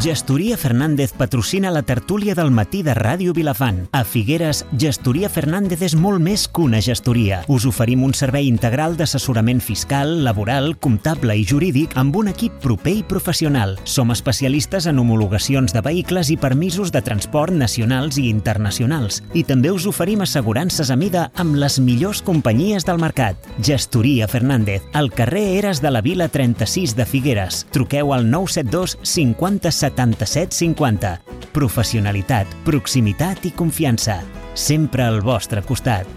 Gestoria Fernández patrocina la tertúlia del matí de Ràdio Vilafant. A Figueres, Gestoria Fernández és molt més que una gestoria. Us oferim un servei integral d'assessorament fiscal, laboral, comptable i jurídic amb un equip proper i professional. Som especialistes en homologacions de vehicles i permisos de transport nacionals i internacionals. I també us oferim assegurances a mida amb les millors companyies del mercat. Gestoria Fernández, al carrer Eres de la Vila trenta-sis de Figueres. Truqueu al nou set dos cinquanta setanta-set cinquanta. Professionalitat, proximitat i confiança. Sempre al vostre costat.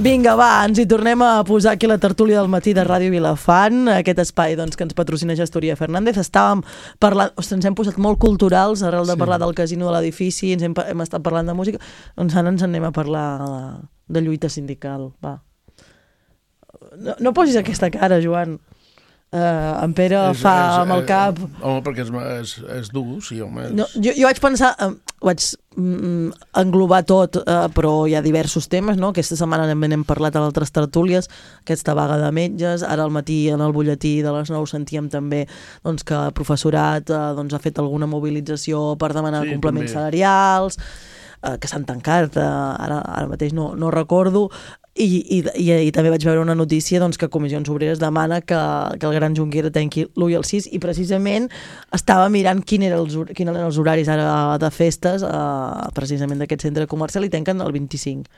Vinga, va, ens hi tornem a posar aquí la tertúlia del matí de Ràdio Vilafant, aquest espai doncs, que ens patrocina Gestoria Fernández. Estàvem parlant, ostres, ens hem posat molt culturals arrel de sí. parlar del casino de l'edifici, ens hem, hem estat parlant de música, doncs ara ens anem a parlar de lluita sindical. Va. No, no posis aquesta cara, Joan. Uh, en Pere és, fa és, amb el cap... Home, perquè és, és, és dur, sí, home. És... No, jo, jo vaig pensar... Uh, vaig, englobar tot, eh, però hi ha diversos temes, no? Aquesta setmana també n'hem parlat a altres tertúlies, aquesta vaga de metges, ara al matí en el butlletí de les nou sentíem també doncs, que el professorat eh, doncs, ha fet alguna mobilització per demanar sí, complements també. salarials, eh, que s'han tancat, eh, ara, ara mateix no, no recordo, I, i, i, i també vaig veure una notícia doncs, que Comissions Obreres demana que, que el Gran Junquera tanqui l'u i el sis, i precisament estava mirant quin era els, quin eren els horaris ara de festes eh, precisament d'aquest centre comercial, i tanquen el vint-i-cinc.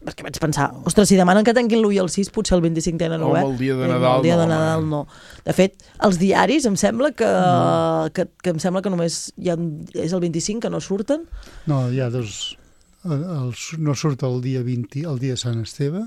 Perquè vaig pensar, ostres, si demanen que tanquin l'u i el sis, potser el vint-i-cinc tenen obert. O el dia de Nadal, el dia no, de Nadal no. De fet, els diaris em sembla que, no. que, que em sembla que només hi ha, és el vint-i-cinc que no surten. No, hi ha dos... El, el, no surt el dia vint, el dia de Sant Esteve,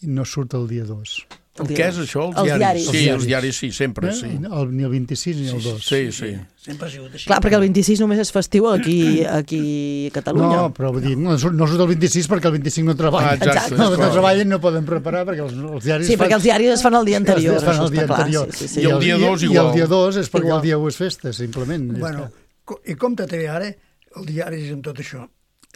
i no surt el dia dos. El què és això? Els, els diaris? diaris. Sí, els diaris sí, sempre, eh? sí. El, ni el vint-i-sis ni el dos. Sí, sí. Sempre ha sigut així. Clar, perquè el vint-i-sis només és festiu aquí, aquí a Catalunya. No, però vull dir, no surt, no surt el vint-i-sis perquè el vint-i-cinc no treballa. Ah, exacte. No, no treballen, no poden preparar perquè els, els diaris... Sí, perquè els diaris es fan el dia anterior. Es fan el dia anterior. Sí, sí, sí. I el dia dos igual. I el dia dos és perquè igual. el dia u és festa, simplement. Bueno, i compte també ara, el diari és amb tot això.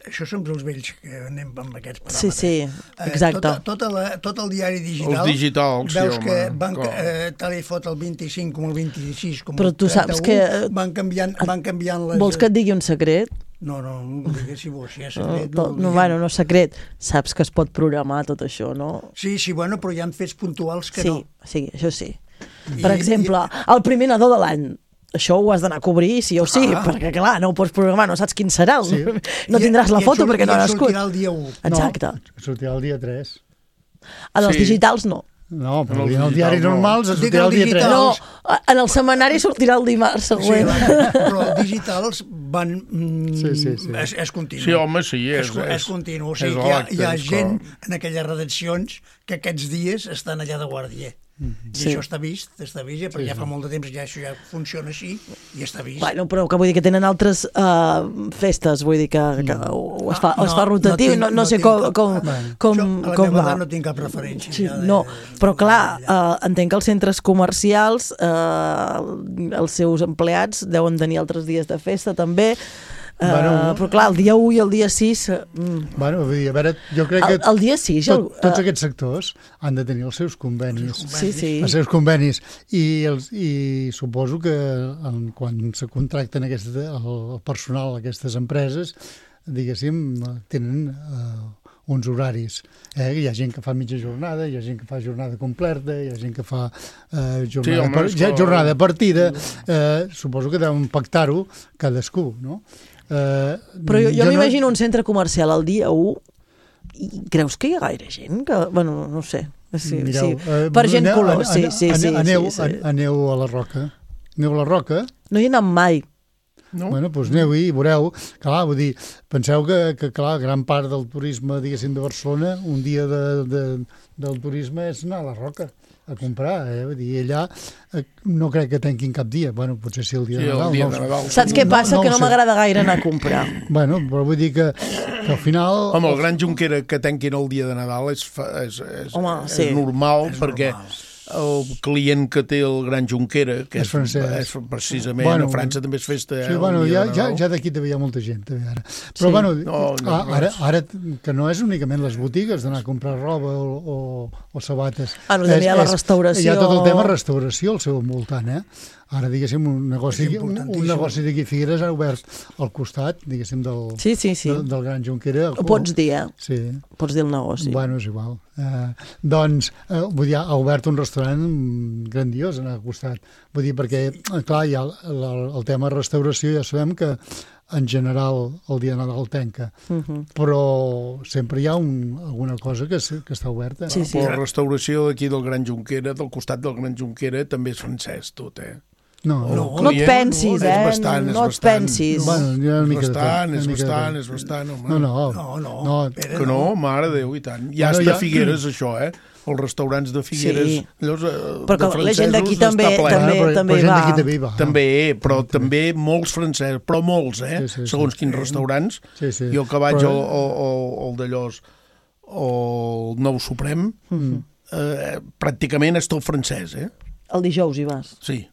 Això som els vells que anem amb aquests paràmetres. Sí, sí, exacte. Eh, tot, tot, la, tot el diari digital, els digitals, veus sí, que home, van, com? eh, tal i fot el vint-i-cinc com el vint-i-sis com Però el tu saps que... van canviant, van canviant les... Vols que et digui un secret? No, no, no digues si vols, si és secret. No, no, no, bueno, no secret. Saps que es pot programar tot això, no? Sí, sí, bueno, però hi ha fets puntuals que sí, no. Sí, això sí. Per I, exemple, i... el primer nadó de l'any, això ho has d'anar a cobrir sí o sí, ah. perquè clar, no ho pots programar, no saps quin serà, sí. no tindràs la foto perquè no ha nascut. I sortirà el dia u. Exacte. No, sortirà el dia tres. En els sí. digitals no. No, però en els diaris normals sortirà el dia tres. No, en el setmanari sortirà el dimarts següent. Sí, però els digitals van... Mm, sí, sí, sí. És, és continu. Sí, home, sí, és... És, és continu. O sigui, hi ha, hi ha gent en aquelles redaccions que aquests dies estan allà de guàrdia. Mm-hmm. I sí. això està vist, està vist, perquè sí, ja fa molt de temps ja això ja funciona així i està vist. Bueno, però que vull dir que tenen altres uh, festes, vull dir que, que no, es, fa, no, es fa rotatiu, no, no, no, no sé com, com, bueno, com, això, com va. No tinc cap referència. Sí, de, no, però clar, uh, entenc que els centres comercials, uh, els seus empleats deuen tenir altres dies de festa també. Uh, bueno, però clar, el dia u i el dia sis... Mm. Bueno, vull dir, a veure, jo crec que... El, el dia sis... Tot, el, uh, tots aquests sectors han de tenir els seus convenis. Sí, sí. Els seus convenis. I, els, i suposo que en, quan se contracten aquest, el, el personal d'aquestes empreses, diguéssim, tenen... Uh, uns horaris. Eh? Hi ha gent que fa mitja jornada, hi ha gent que fa jornada completa, hi ha gent que fa eh, jornada, sí, home, per, jornada partida. Eh, suposo que deuen pactar-ho cadascú, no? Eh, Però jo, jo, jo m'imagino no... un centre comercial el dia u i creus que hi ha gaire gent? Que, bueno, no sé. Sí, Mireu, sí. Eh, per gent aneu, color, sí, sí, sí, aneu, sí, sí. Aneu a la Roca. Aneu a la Roca. No hi he anat mai. No? Bueno, doncs aneu-hi i veureu, clar, vull dir, penseu que, que clar, gran part del turisme, diguéssim, de Barcelona, un dia de, de, del turisme és anar a la Roca a comprar, eh? Vull dir, allà eh, no crec que tanquin cap dia, bueno, potser sí el dia sí, de Nadal. El dia no, de Nadal. Saps què passa? No, no que no m'agrada gaire anar a comprar. Bueno, però vull dir que, que al final... Home, el Gran Junquera que tanquin el dia de Nadal és, és, és, Home, és sí. normal, és perquè... normal. El client que té el Gran Junquera, que és, és francès, és precisament, bueno, a França també és festa. Sí, eh, bueno, ja, ja, ja d'aquí també hi ha molta gent, també ara. Però, sí. bueno, no, no, ara, ara, que no és únicament les botigues d'anar a comprar roba o, o, o sabates. Ah, no, també hi ha la restauració. Hi ha tot el tema restauració al seu voltant, eh? Ara, diguéssim, un negoci, un, un negoci d'aquí Figueres ha obert al costat, diguéssim, del, sí, sí, sí. del, del Gran Junquera. Ho pots dir, eh? Sí. Pots dir el negoci. Bueno, és igual. Eh, doncs, eh, vull dir, ha obert un restaurant grandiós al costat. Vull dir, perquè, clar, hi ha el, el, el tema restauració, ja sabem que en general el dia de Nadal tanca, uh -huh. però sempre hi ha un, alguna cosa que, que està oberta. Sí, sí. La restauració d'aquí del Gran Junquera, del costat del Gran Junquera, també és francès, tot, eh? No, no, no et pensis, eh? Bastant, no et pensis. Bueno, hi ha una mica és bastant, de és mica bastant, de... és bastant, home. No, no. No, no. no. Que no, mare de Déu, i tant. Ja bueno, està ja... Figueres, això, eh? Els restaurants de Figueres, sí. llavors, però de la gent d'aquí francesos també, està ple. també, però, també, però va. també va. També, però sí, també molts francesos, però molts, eh? Sí, sí, sí. Segons quins restaurants. Sí, sí. Jo que vaig però... al, al, al d'allòs, al Nou Suprem, mm-hmm. eh, pràcticament és tot francès, eh? El dijous hi vas. Sí.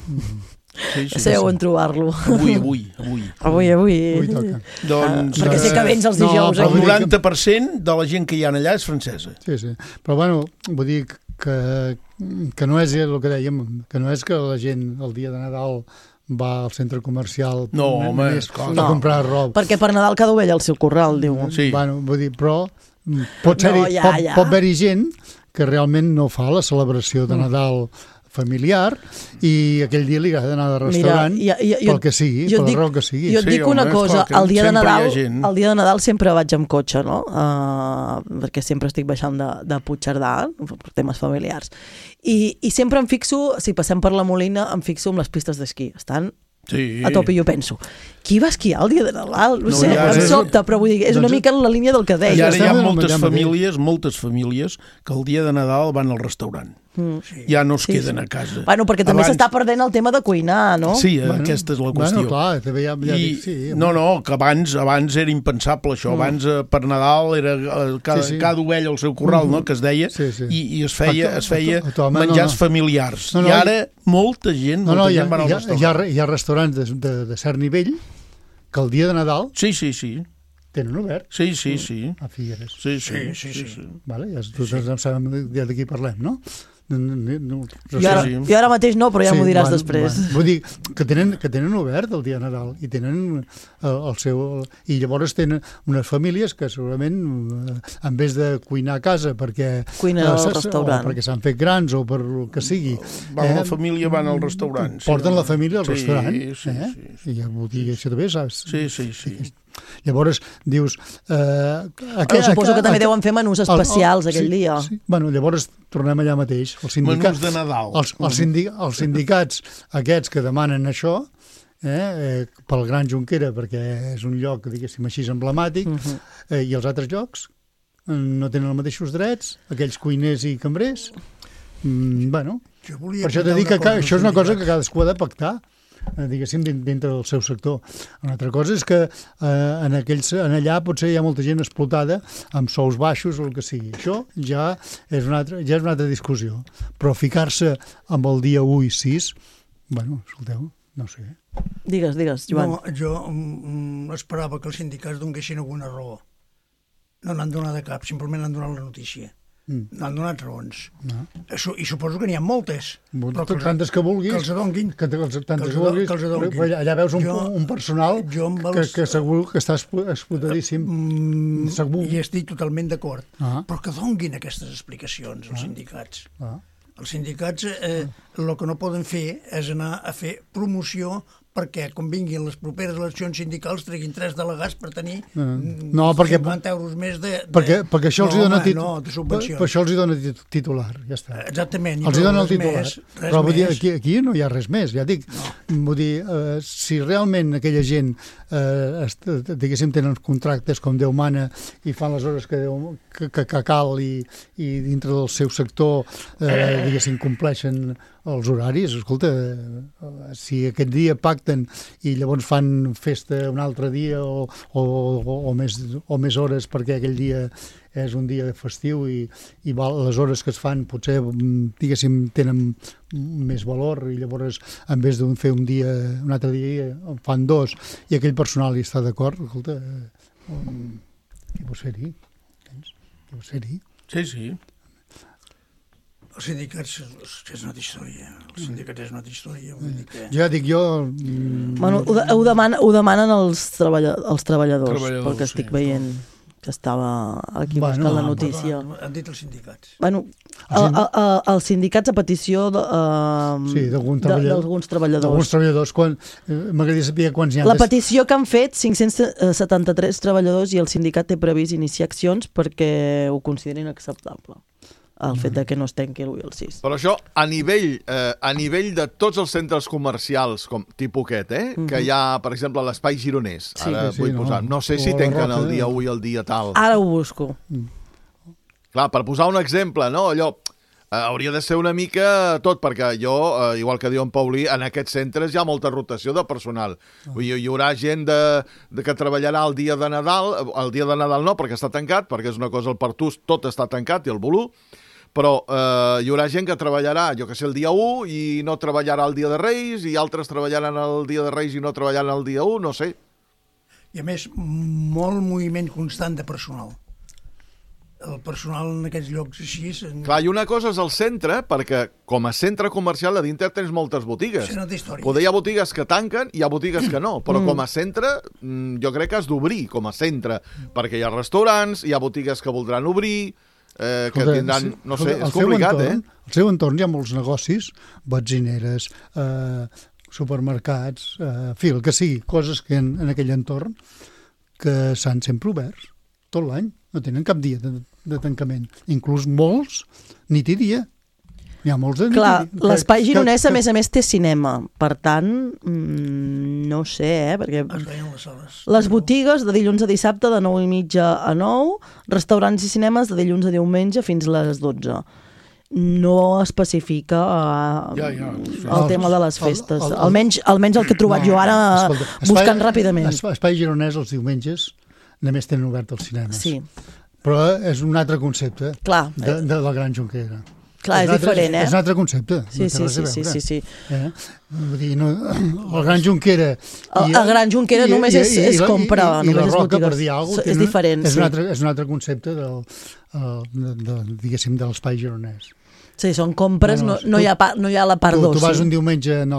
Mm-hmm. Sí, sí, Sabeu on trobar-lo. Avui, avui, avui. Avui, avui. Avui toca. Doncs, uh, perquè sé que vens els dijous. No, el noranta per cent de la gent que hi ha allà és francesa. Sí, sí. Però, bueno, vull dir que, que no és el que dèiem, que no és que la gent el dia de Nadal va al centre comercial no, home, a no. comprar roba. Perquè per Nadal cada ovella al seu corral, diu. Sí. Bueno, vull dir, però pot, ser-hi, no, ja, pot, ja. pot haver-hi gent que realment no fa la celebració de Nadal familiar i aquell dia li agrada anar de restaurant. Mira, ja, ja, pel que sigui, per la raó que sigui. Jo et dic sí, una home, cosa, el dia, de Nadal, el dia de Nadal sempre vaig amb cotxe, no? Uh, perquè sempre estic baixant de, de Puigcerdà per temes familiars. I, I sempre em fixo, si passem per la Molina, em fixo en les pistes d'esquí. Estan sí. a top i jo penso, qui va esquiar el dia de Nadal? No, no sé, ja, em sobta, però vull dir, és una doncs, mica en la línia del que deia. I ara hi ha moltes famílies, moltes famílies que el dia de Nadal van al restaurant. Mm. Ja no es sí, queden sí. a casa. Bueno, perquè també s'està perdent el tema de cuinar, no? Sí, bueno, aquesta és la qüestió. Bueno, clar, també ja, ja I, dic, sí. No, no, que abans abans era impensable això. Mm. Abans eh, per Nadal era eh, cada, sí, sí. cada ovella al seu corral, mm -hmm. no?, que es deia, sí, sí. I, i es feia, es feia a to, a to, menjars no, no. familiars. No, no, I ara molta gent, molta no, no, gent ha, van al hi ha, restaurant. Hi ha, hi ha restaurants de, de, de cert nivell que el dia de Nadal... Sí, sí, sí. Tenen obert. Sí, sí, sí. A Figueres. Sí, sí, sí. sí, sí. sí. Vale, ja, tu sí. ja sabem ja de qui parlem, no? No, no, no, jo, ara, jo ara mateix no, però ja sí, m'ho diràs bueno, després. Bueno. Vull dir que tenen, que tenen obert el dia de Nadal i tenen el, el seu... I llavors tenen unes famílies que segurament, en vez de cuinar a casa perquè... Cuinen al eh, restaurant. O perquè s'han fet grans o per el que sigui. Van, eh, la família van al restaurant. Porten sí, la família al sí, restaurant. Sí, sí, eh? sí, sí. I ja vull dir, això també saps. Sí, sí, sí. Llavors, dius... Eh, aquell, suposo que també aquell, deuen fer menús especials el, el, aquell sí, dia. Sí. Bueno, llavors tornem allà mateix. Els menús de Nadal. Els, els, sindi, els sindicats aquests que demanen això, eh, eh, pel Gran Junquera, perquè és un lloc, diguéssim així, emblemàtic, uh -huh. eh, i els altres llocs no tenen els mateixos drets, aquells cuiners i cambrers. Mm, bueno, per això t'he dit que, que això és una cosa que cadascú ha de pactar, diguéssim, dintre del seu sector. Una altra cosa és que eh, en, aquells, en allà potser hi ha molta gent explotada amb sous baixos o el que sigui. Això ja és una altra, ja és una altra discussió. Però ficar-se amb el dia u i sis, bueno, escolteu, no sé. Digues, digues, Joan. No, jo mm, esperava que els sindicats donguessin alguna raó. No n'han donat de cap, simplement han donat la notícia. Mm. N'han donat raons. No. I suposo que n'hi ha moltes. Però que tantes que vulguis. Que els donguin. Que, que, els, tantes que, que vulguis. Que els donguin. Allà veus un, jo, un personal els... que, que segur que està explotadíssim. Mm, segur. I estic totalment d'acord. Ah. Però que donguin aquestes explicacions els ah. sindicats. Ah. Els sindicats eh, el ah. que no poden fer és anar a fer promoció perquè quan vinguin les properes eleccions sindicals treguin tres delegats per tenir no, perquè, cinquanta euros més de... de... Perquè, perquè això els no, hi dona tit... no, de subvencions. Per, per això els hi dona titular, ja està. Exactament. Els hi dona el titular. Més, però vull dir, aquí, aquí no hi ha res més, ja dic. No. Vull dir, eh, si realment aquella gent eh, diguéssim tenen contractes com Déu mana i fan les hores que, Déu, que, que, que cal i, i dintre del seu sector eh, diguéssim compleixen els horaris, escolta, si aquest dia pacten i llavors fan festa un altre dia o, o, o, o, més, o més hores perquè aquell dia és un dia festiu i, i les hores que es fan potser, diguéssim, tenen més valor i llavors en vez de fer un dia, un altre dia en fan dos i aquell personal hi està d'acord, escolta, què vols fer-hi? Què vols fer-hi? Sí, sí. Els sindicats és una altra història. Els sindicats és una altra història. Vull dir que... Ja dic jo... Bueno, ho, de, ho, demanen, ho demanen els, treballa, els treballadors, treballadors, perquè estic sí, veient que estava aquí bueno, buscant la notícia. Han dit els sindicats. Bueno, el, el, el, els sindicats a petició de, uh, sí, d'alguns treballadors. treballadors. D'alguns treballadors. Quan, eh, m'agradaria saber quants hi ha. La petició que han fet, cinc-cents setanta-tres treballadors, i el sindicat té previst iniciar accions perquè ho considerin acceptable. El fet de que no es tanqui l'u i el sis. Però això, a nivell, eh, a nivell de tots els centres comercials, com tipus aquest, eh, mm-hmm. que hi ha, per exemple, l'espai gironès, sí, ara sí, vull no. posar, no sé si tanquen el dia u i el dia tal. Ara ho busco. Mm. Clar, per posar un exemple, no? Allò, eh, hauria de ser una mica tot, perquè jo, eh, igual que diu en Paulí, en aquests centres hi ha molta rotació de personal. Oh. Vull dir, hi haurà gent de, de que treballarà el dia de Nadal, el dia de Nadal no, perquè està tancat, perquè és una cosa, el Partús tot està tancat i el Bolú, però eh, hi haurà gent que treballarà, jo que sé, el dia u i no treballarà el dia de Reis, i altres treballaran el dia de Reis i no treballaran el dia u, no sé. I a més, molt moviment constant de personal. El personal en aquests llocs així... En... Clar, i una cosa és el centre, perquè com a centre comercial a dintre tens moltes botigues. És una altra història. Poder hi ha botigues que tanquen i hi ha botigues que no, però mm. com a centre jo crec que has d'obrir com a centre, perquè hi ha restaurants, hi ha botigues que voldran obrir, eh, que Escolta, tindran... No sé, escolta, és complicat, entorn, eh? Al seu entorn hi ha molts negocis, benzineres, eh, supermercats, eh, en fi, el que sigui, coses que en, en aquell entorn que s'han sempre oberts tot l'any, no tenen cap dia de, de tancament. Inclús molts, nit i dia. Hi ha molts de nit Clar, i dia. l'espai gironès, a més a més, té cinema. Per tant, mmm, no sé, eh? Perquè les, les botigues de dilluns a dissabte de nou i mitja a nou, restaurants i cinemes de dilluns a diumenge fins a les dotze. No especifica uh, ja, ja, el, el tema de les festes. El, el, el, almenys, almenys el que he trobat no, jo ara escolta, buscant espai, ràpidament. Espai gironès els diumenges només tenen obert els cinemes. Sí. Però és un altre concepte Clar, de, de la Gran Jonquera. Clar, és, és diferent, eh? És un altre concepte. Sí, sí, sí, sí, sí, sí. Eh? Vull dir, no, el Gran Jonquera... El, el Gran Jonquera i, només és, és compra, i, i, només i la és Roca, botigues. per dir alguna cosa, és diferent, és sí. Un altre, és un altre concepte del, de, de, diguéssim, de l'espai gironès. Sí, són compres, no, no, no, tu, hi ha pa, no hi ha la part d'oci. Tu, tu vas un diumenge en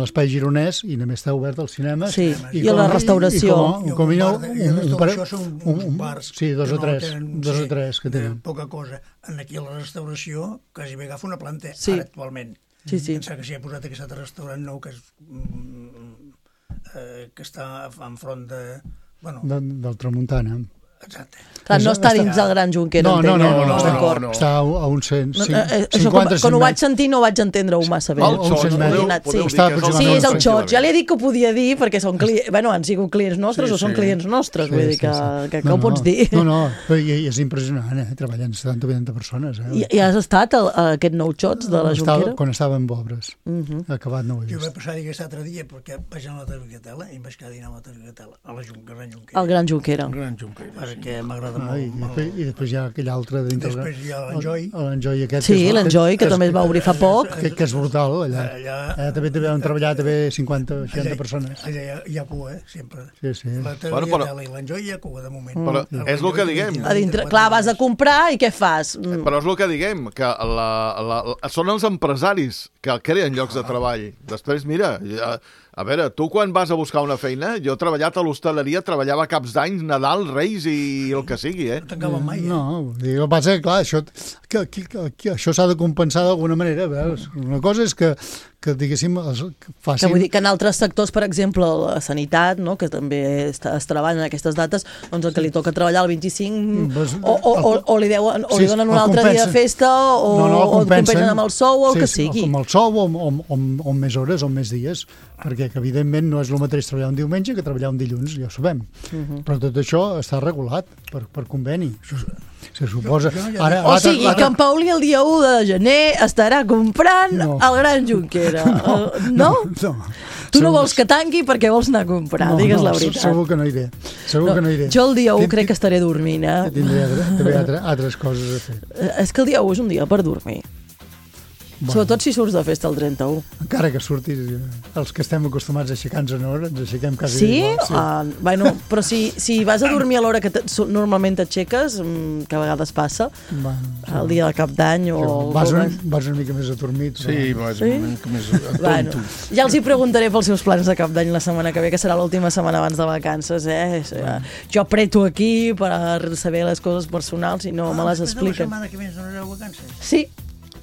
l'espai gironès i només t'ha obert el cinema. Sí, i, i a la restauració. I com, i com, un, un, un, un, un, són uns bars sí, dos o tres, tenen, dos sí, o tres que tenen. Poca cosa. En aquí a la restauració quasi bé agafa una planta, sí. ara actualment. Sí, sí. Pensar que s'hi ha posat aquest altre restaurant nou que, és, eh, que està enfront de... Bueno, de, del Tramuntana. Exacte. Clar, no està dins del Gran Jonquera, no, no, entenc, no, no, no, no, no. Està a uns cent, no, eh, eh, cinquanta, quan ho vaig sentir no vaig entendre-ho massa bé. El xot, podeu, podeu sí. dir que és el sí, és el xot. Ja li he dit que ho podia dir perquè són clients, bueno, han sigut clients nostres sí, o són sí. clients nostres, sí, vull dir que, sí, sí. que, que no, ho pots dir. No, no, però és impressionant, eh? Treballant setanta o vuitanta persones. Eh? I, I has estat a, a aquest nou xots de la estava, Jonquera? Quan estava en obres. Uh -huh. Acabat no ho he vist. Jo vaig passar aquest altre dia perquè vaig anar a la Targetela i em vaig quedar a dinar a la Targetela, a la Gran Jonquera. Al Gran Jonquera. Gran Jonquera. Perquè m'agrada ah, molt. I, I després hi ha aquell altre dintre. Després hi ha l'Enjoy. L'Enjoy aquest. Sí, l'Enjoy, que, que també es va obrir fa poc. Que, que és brutal, allà. allà, allà també també han treballat també cinquanta o seixanta persones. Allà hi ha, hi ha cua, eh, sempre. Sí, sí. La Targetela i l'Enjoy hi ha cua, de moment. Però mm. és el que diguem. A dintre, clar, vas a comprar i què fas? Mm. Però és el que diguem, que la, la, la, són els empresaris que creen llocs de treball. Després, mira... Ja, a veure, tu quan vas a buscar una feina, jo he treballat a l'hostaleria, treballava caps d'any, Nadal, Reis i el que sigui, eh? No tancava mai, eh? No, el que passa és que, clar, això, que, que, que, això s'ha de compensar d'alguna manera. Veus? Una cosa és que, que diguéssim, que facin... Que vull dir que en altres sectors, per exemple, la sanitat, no?, que també es, es treballa en aquestes dates, doncs el que li toca treballar el vint-i-cinc pues, o, o, o, o li deuen, o li donen un altre dia de festa o, no, no, o et compensen amb el sou o el sí, que sigui. Com el sou o, o, o, o més hores o més dies, perquè que, evidentment no és el mateix treballar un diumenge que treballar un dilluns, ja ho sabem. Uh -huh. Però tot això està regulat per, per conveni. Se suposa... Ara, o sigui, que en Pauli el dia u de gener estarà comprant no. el Gran Jonquera. No? No. no. Tu no vols que tanqui perquè vols anar a comprar, no, digues no, la veritat. Segur que no iré. Segur no, que no iré. Jo el dia u crec que estaré dormint, eh? Tindré també altres, altres coses a fer. És que el dia u és un dia per dormir. Bueno. Sobretot si surts de festa el trenta-u. Encara que surtis, els que estem acostumats a aixecar-nos a l'hora, ens aixequem quasi sí? igual. Sí? Uh, bueno, però si, si vas a dormir a l'hora que normalment t'aixeques, que a vegades passa, bueno, sí. el dia de cap d'any o... Vas, un, vas una mica més adormit. Sí, però... vas sí? una mica més atonto. Bueno, ja els hi preguntaré pels seus plans de cap d'any la setmana que ve, que serà l'última setmana abans de vacances, eh? Bueno. Jo apreto aquí per saber les coses personals i no ah, me les expliquen. La setmana que ve ens donareu vacances? Sí.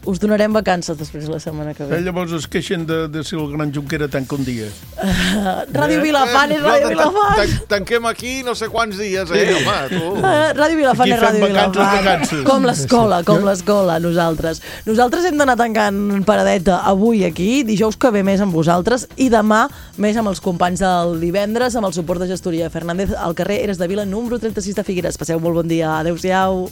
Us donarem vacances després la setmana que ve. Eh, llavors es queixen de, de si el Gran Jonquera tanca un dia. Uh, Ràdio eh? Vilafant és Ràdio Vilafant. Tan, tanquem aquí no sé quants dies, eh, sí. home, tu. Uh, Ràdio Vilafant és Ràdio Vilafant. Com l'escola, com l'escola, nosaltres. Nosaltres hem d'anar tancant paradeta avui aquí, dijous que ve més amb vosaltres i demà més amb els companys del divendres, amb el suport de gestoria Fernández al carrer Eres de Vila, número trenta-sis de Figueres. Passeu molt bon dia. Adéu-siau.